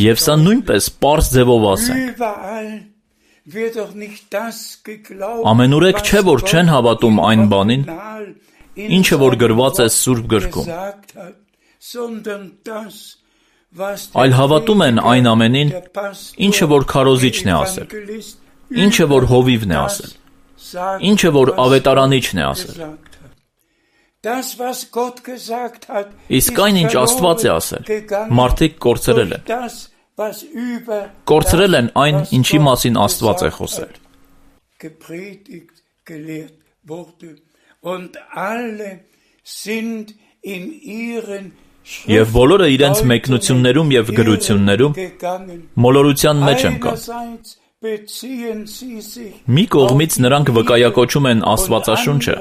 Եվ սա նույնպես պարզ ձևով ասենք։ Ամենուրեք չէ, որ չեն հավատում այն բանին, ինչը որ գրված է Սուրբ գրքում, այլ հավատում են այն ամենին, ինչը որ քարոզիչն է ասել, ինչը որ հովիվն է ասել, ինչը որ ավետարանիչն է ասել։ Իսկ այն, ինչ Աստված է ասել, մարդիկ կորցրել են։ Կորցրել են այն, ինչի մասին Աստված է խոսել։ Եվ բոլորը իրենց մեկնություններում և գրություններում մոլորության մեջ ընկան։ Մի կողմից նրանք վկայակոչում են Աստվածաշունչը,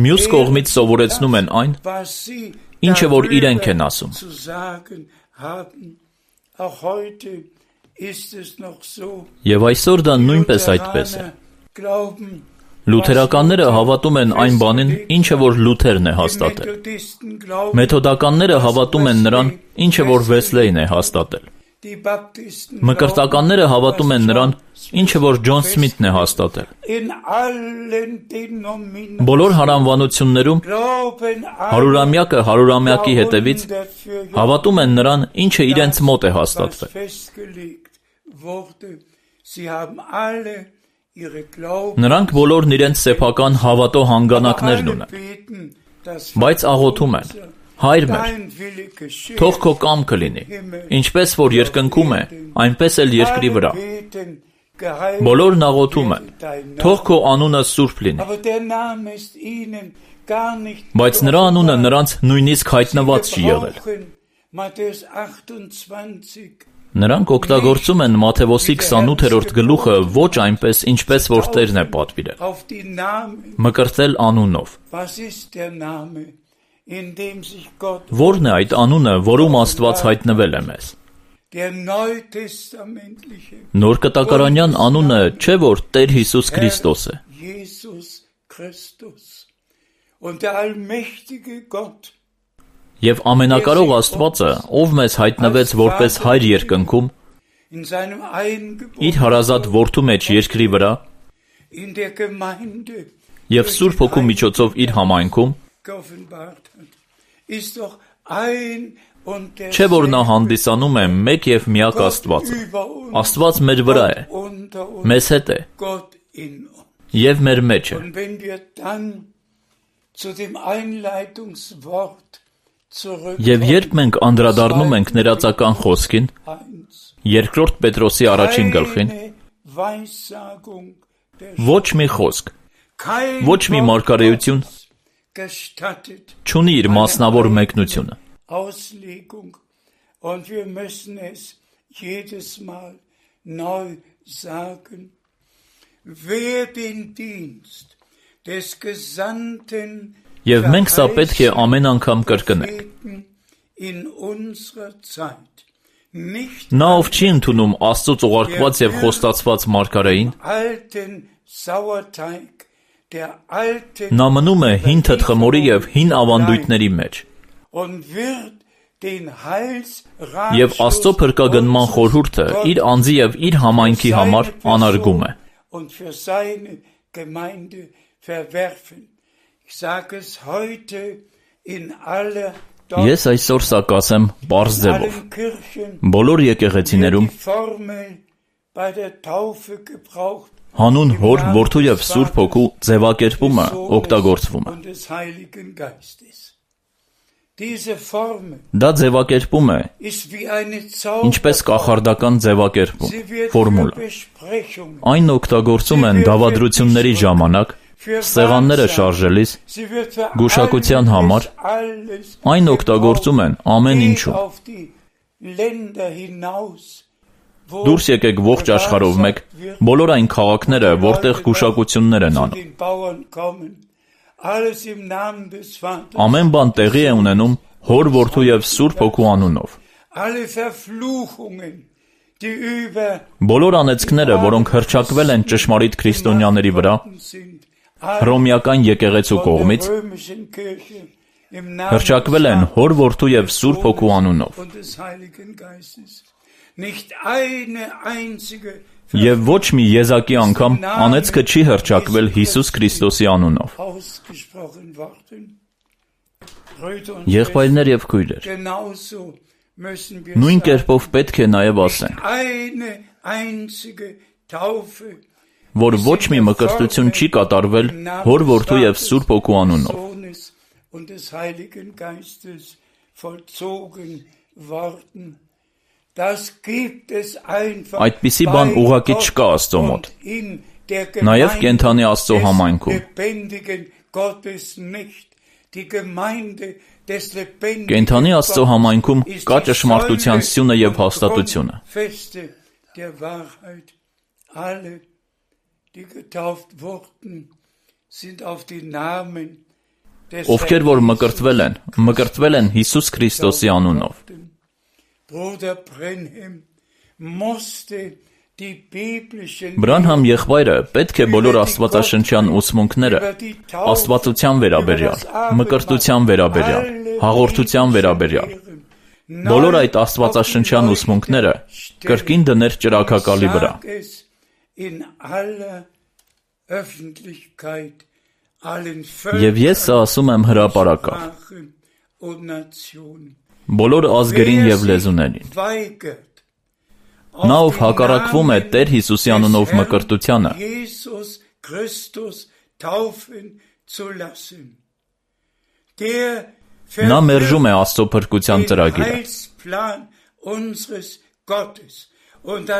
մյուս կողմից սովորեցնում են այն, ինչը որ իրենք են ասում։ Եվ այսօր դա նույնպես այդպես է։ Լութերականները հավատում են այն բանին, ինչը որ Լութերն է հաստատել։ Մեթոդականները հավատում են նրան, ինչը որ Վեսլեյն է հաստատել։ Մկրտականները հավատում են նրան, ինչը որ Ջոն Սմիթն է հաստատել։ Բոլոր հարանվանություններում հարյուրամյակը հարյուրամյակի հետևից հավատում են նրան, ինչը իրենց մոտ է հաստատվել։ Նրանք բոլորն իրենց սեփական հավատո հանգանակներն ունեն, բայց աղոթում են. Հայր մեր, թող քո կամքը լինի, ինչպես որ երկնքում է, այնպես էլ երկրի վրա։ Բոլորն աղոթում են, թող քո անունը սուրբ լինի, բայց նրա անունը նրանց նույնիսկ հայտնված չի եղել։ Նրանք օգտագործում են Մատթեոսի 28-րդ գլուխը ոչ այնպես, ինչպես որ Տերն է պատվիրել։ Մկրտել անունով։ Ո՞րն է այդ անունը, որում Աստված հայտնվել է մեզ։ Նոր կտակարանյան անունը չէ, որ Տեր Հիսուս Քրիստոս է։ Եվ ամենակարող Աստվածը, ով մեզ հայտնվեց որպես Հայր երկնքում, իր հարազատ Որդու մեջ երկրի վրա, և Սուրբ Հոգու միջոցով իր համայնքում, չէ որ նա հանդիսանում է մեկ և միակ Աստվածը։ Աստված մեր վրա է, մեզ հետ է և մեր մեջ է։ Եվ երբ մենք անդրադառնում ենք ներածական խոսքին, երկրորդ Պետրոսի առաջին գլխին, ոչ մի խոսք, ոչ մի մարգարեություն չունի իր մասնավոր մեկնությունը։ Եվ մենք սա պետք է ամեն անգամ կրկնենք։ Նա ով չի ընդունում Աստծուց ուղարկված և խոստացված մարգարեին, Նա մնում է հին թթխմորի և հին ավանդույթների մեջ և Աստծո փրկագնման խորհուրդը իր անձի և իր համայնքի համար անարգում է։ Ես այսօր սա կասեմ պարզ ձևով։ Բոլոր եկեղեցիներում հանուն Հոր, Որդու և Սուրբ Հոգու ձևակերպումը օգտագործվում է։ Դա ձևակերպում է, ինչպես կախարդական ձևակերպում, ֆորմուլա։ Այն օգտագործում են դավադրությունների ժամանակ, սեղանները շարժելիս, գուշակության համար, այն օգտագործում են ամեն ինչում։ Դուրս եկեք ողջ աշխարհով մեկ, բոլոր այն քաղաքները, որտեղ գուշակություններ են անում։ Ամեն բան տեղի է ունենում Հոր, Որդու և Սուրբ Հոգու անունով։ Բոլոր անեծքները, որոնք հռչակվել են ճշմարիտ քրիստոնյաների վրա, հռոմեական եկեղեցու կողմից, հռչակվել են Հոր, Որդու և Սուրբ Հոգու անունով։ Եվ ոչ մի եզակի անգամ անեծքը չի հռչակվել Հիսուս Քրիստոսի անունով։ Եղբայրներ և քույրեր, նույն կերպով պետք է նաև ասենք, որ ոչ մի մկրտություն չի կատարվել Հոր, Որդու և Սուրբ Հոգու անունով։ Այդպիսի բան ուղղակի չկա Աստծո մոտ, նաև կենդանի Աստծո համայնքում։ Կենդանի Աստծո համայնքում կա ճշմարտության սյունը և հաստատությունը։ Ովքեր որ մկրտվել են Հիսուս Քրիստոսի անունով։ Բրանհամ եղբայրը պետք է բոլոր աստվածաշնչյան ուսմունքները աստվածության վերաբերյալ, մկրտության վերաբերյալ, հաղորդության վերաբերյալ, բոլոր այդ աստվածաշնչյան ուսմունքները կրկին դներ ճրագակալի վրա։ Եվ ես սա ասում եմ հրապարակավ, բոլոր ազգերին և լեզուներին։ Նա, ով հակառակվում է Տեր Հիսուսի անունով մկրտությանը, նա մերժում է Աստծո փրկության ծրագիրը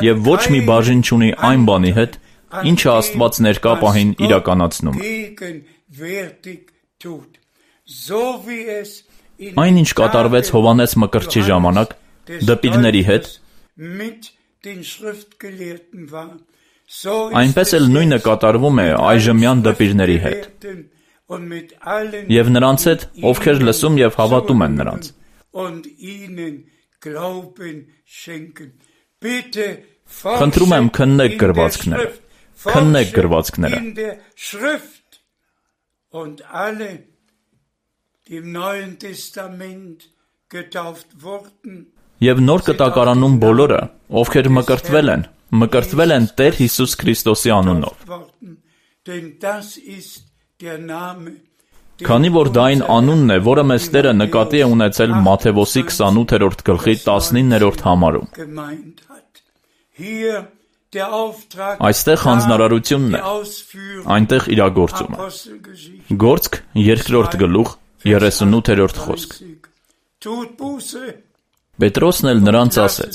և ոչ մի բաժին չունի այն բանի հետ, ինչը Աստված ներկա պահին իրականացնում է։ Այն, ինչ կատարվեց Հովհաննես Մկրտչի ժամանակ դպիրների հետ, այնպես էլ նույնը կատարվում է այժմյան դպիրների հետ և նրանց հետ, ովքեր լսում և հավատում են նրանց։ Խնդրում եմ քննեք գրվածքները։ Եվ Նոր Կտակարանում բոլորը, ովքեր մկրտվել են Տեր Հիսուս Քրիստոսի անունով։ Քանի որ դա այն անունն է, որը մեզ Տերը նկատի է ունեցել Մատթեոս 28-րդ գլխի 19-րդ համարում։ Այստեղ հանձնարարությունն է, այնտեղ իրագործումը։ Գործք 2-րդ գլուխ 38-րդ խոսք։ Պետրոսն էլ նրանց ասեց.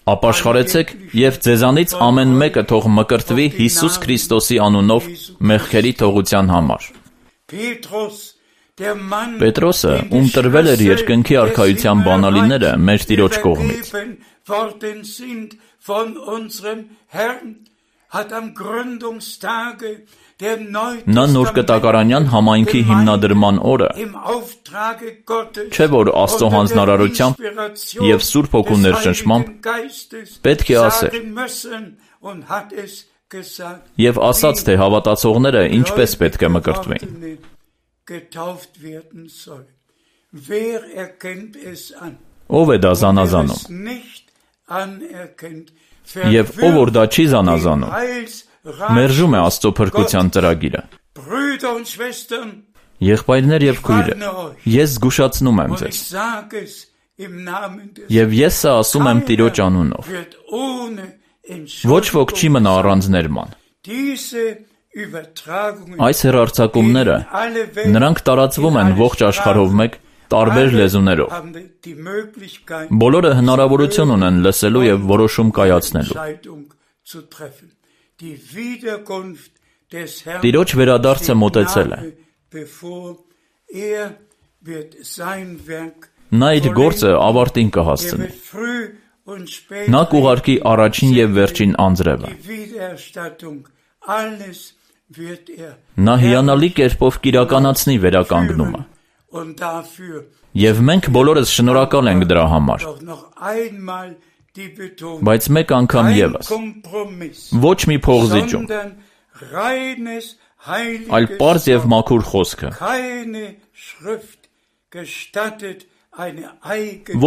ապաշխարեցեք և ձեզանից ամեն մեկը թող մկրտվի Հիսուս Քրիստոսի անունով մեղքերի թողության համար։ Պետրոսը, ում տրվել էր երկնքի արքայության բանալիները մեր Տիրոջ կողմից, նա Նոր Կտակարանյան համայնքի հիմնադրման օրը, չէ՞ որ Աստծո հանձնարարությամբ և Սուրբ Հոգու ներշնչմամբ պետք է ասեր. Եվ ասաց, թե հավատացողները ինչպես պետք է մկրտվեին։ Ով է դա զանազանում։ Եվ ով որ դա չի զանազանում, մերժում է Աստծո փրկության ծրագիրը։ Եղբայրներ եւ քույրեր, ես զգուշացնում եմ ձեզ։ Եվ ես սա ասում եմ Տիրոջ անունով։ Ոչ ոք չի մնա առանց ներման։ Այս հեռարձակումները նրանք տարածվում են ողջ աշխարհով մեկ տարբեր լեզուներով։ Բոլորը հնարավորություն ունեն լսելու եւ որոշում կայացնելու։ Տիրոջ վերադարձը մոտեցել է։ Նա իր գործը ավարտին կհասցնի։ Նա կուղարկի առաջին եւ վերջին անձրևը։ Նա հիանալի կերպով կիրականացնի վերականգնումը։ Եվ մենք բոլորս շնորհակալ ենք դրա համար։ Բայց մեկ անգամ ևս, ոչ մի փողզիջում, այլ պարզ եւ մաքուր խոսքը,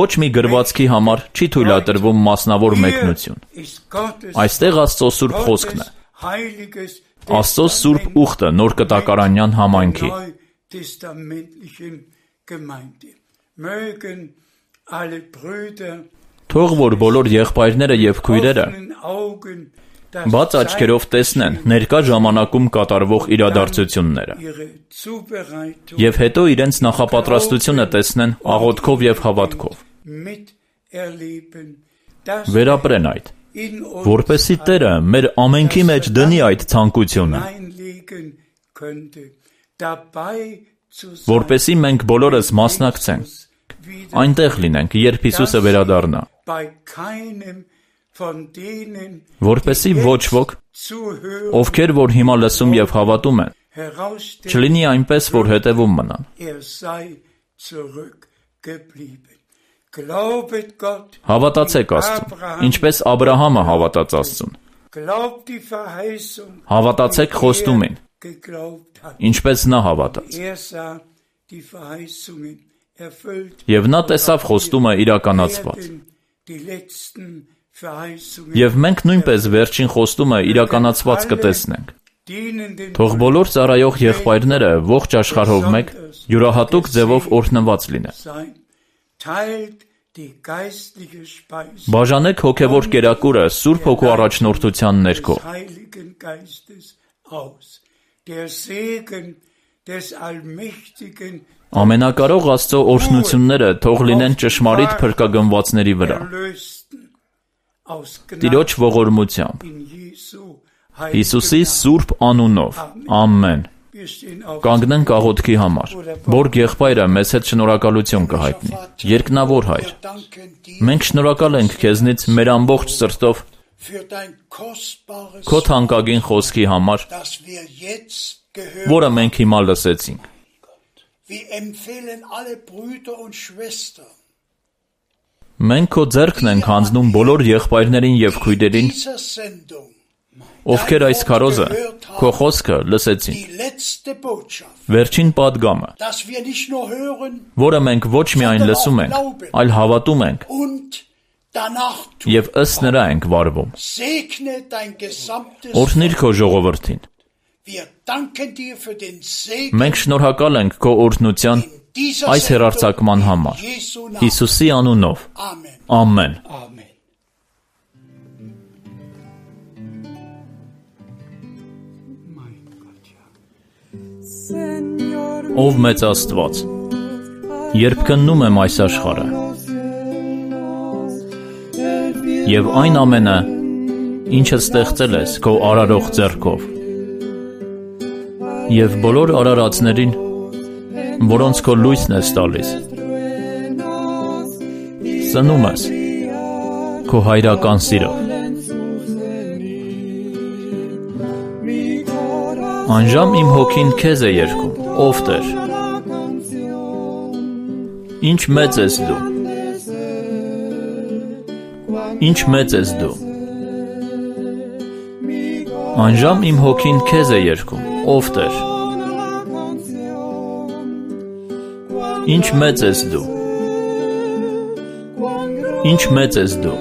ոչ մի գրվածքի համար չի թույլատրվում մասնավոր մեկնություն։ Այստեղ Աստծո սուրբ խոսքն է, Աստծո սուրբ ուխտը նոր կտակարանյան համայնքի։ Թող որ բոլոր եղբայրները եւ քույրերը բաց աչքերով տեսնեն ներկա ժամանակում կատարվող իրադարձությունները եւ հետո իրենց նախապատրաստությունը տեսնեն աղոթքով եւ հավատքով։ Վերապրեն այդ, որպեսզի Տերը մեր ամենքի մեջ դնի այդ ցանկությունը, որպեսզի մենք բոլորս մասնակցենք, այնտեղ լինենք, երբ Հիսուսը վերադառնա, որպեսզի ոչ ոք, ովքեր որ հիմա լսում եւ հավատում են, չլինի այնպես, որ հետևում մնան։ Հավատացեք Աստծուն, ինչպես Աբրահամը հավատաց Աստծուն։ Հավատացեք խոստումին, ինչպես նա հավատաց։ Եվ նա տեսավ խոստումը իրականացված։ Եվ մենք նույնպես վերջին խոստումը իրականացված կտեսնենք։ Թող բոլոր ծառայող եղբայրները ողջ աշխարհով մեկ յուրահատուկ ձևով օրհնված լինեն։ Բաժանեք հոգևոր կերակուրը Սուրբ Հոգու առաջնորդության ներքո։ Ամենակարող Աստծո օրհնությունները թող լինեն ճշմարիտ փրկագնվածների վրա։ Տիրոջ ողորմությամբ, Հիսուսի սուրբ անունով, ամեն։ Կանգնենք աղոթքի համար, որ եղբայրը մեզ հետ շնորհակալություն կհայտնի։ Երկնավոր Հայր, մենք շնորհակալ ենք քեզնից մեր ամբողջ սրտով քո թանկագին խոսքի համար, որը մենք հիմա լսեցինք։ Մենք քո ձեռքն ենք հանձնում բոլոր եղբայրներին եւ քույրերին, ովքեր այս քարոզը, քո խոսքը լսեցին։ Վերջին պատգամը, որը մենք ոչ միայն լսում ենք, այլ հավատում ենք եւ ըստ նրա ենք վարվում։ Օրհնիր քո ժողովրդին։ Մենք շնորհակալ ենք քո օրհնության այս հեռարձակման համար։ Հիսուսի անունով։ Ամեն։ Ով մեծ Աստված, երբ քննում եմ այս աշխարհը եւ այն ամենը, ինչը ստեղծել ես քո արարող ձեռքով, եւ բոլոր արարածներին, որոնց քո լույսն ես տալիս, սնում ես քո հայրական սիրով։ Անժամ իմ հոգին քեզ է երգում, ով Տեր։ Ինչ մեծ ես դու։ Ինչ մեծ ես դու։ Անժամ իմ հոգին քեզ է երգում, ով Տեր։ Ինչ մեծ ես դու։ Ինչ մեծ ես դու։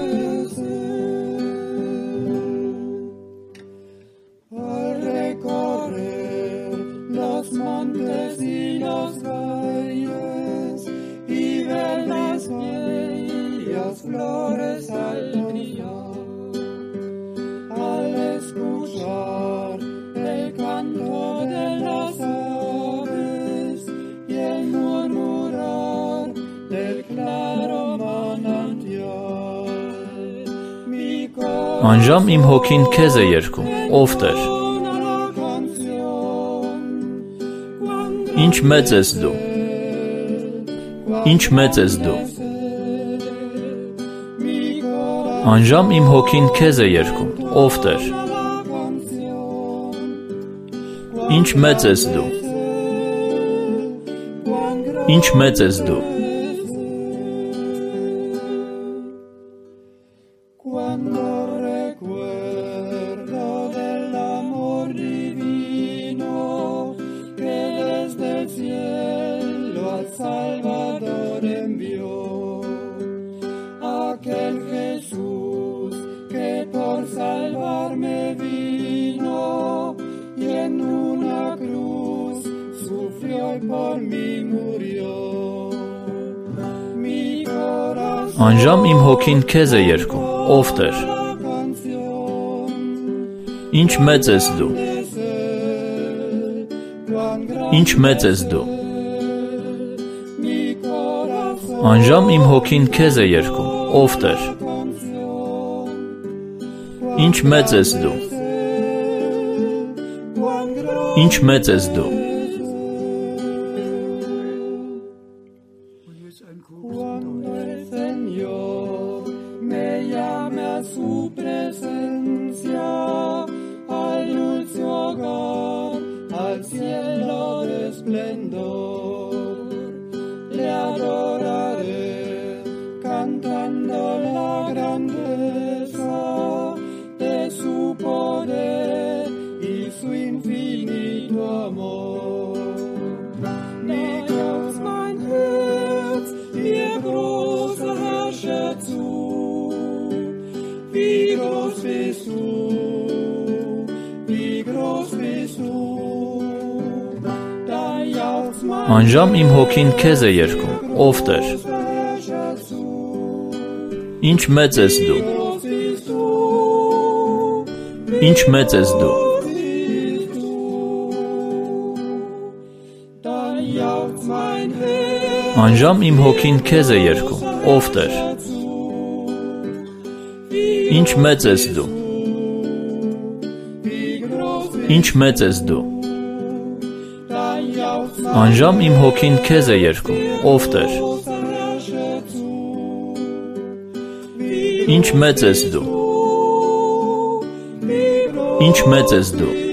Անժամ իմ հոգին քեզ է երգում, ով Տեր։ Ինչ մեծ ես դու։ Ինչ մեծ ես դու։ Անժամ իմ հոգին քեզ է երգում, ով Տեր։ Ինչ մեծ ես դու։ Ինչ մեծ ես դու։ Անժամ իմ հոգին քեզ է երգում, ով Տեր։ Ինչ մեծ ես դու։ Ինչ մեծ ես դու։ Անժամ իմ հոգին քեզ է երգում, ով Տեր։ Ինչ մեծ ես դու։ Ինչ մեծ ես դու։ Անժամ իմ հոգին քեզ է երգում, ով Տեր։ Ինչ մեծ ես դու։ Ինչ մեծ ես դու։ Անժամ իմ հոգին քեզ է երգում, ով Տեր։ Ինչ մեծ ես դու։ Ինչ մեծ ես դու։ Անժամ իմ հոգին քեզ է երգում, ով Տեր։ Ինչ մեծ ես դու։ Ինչ մեծ ես դու։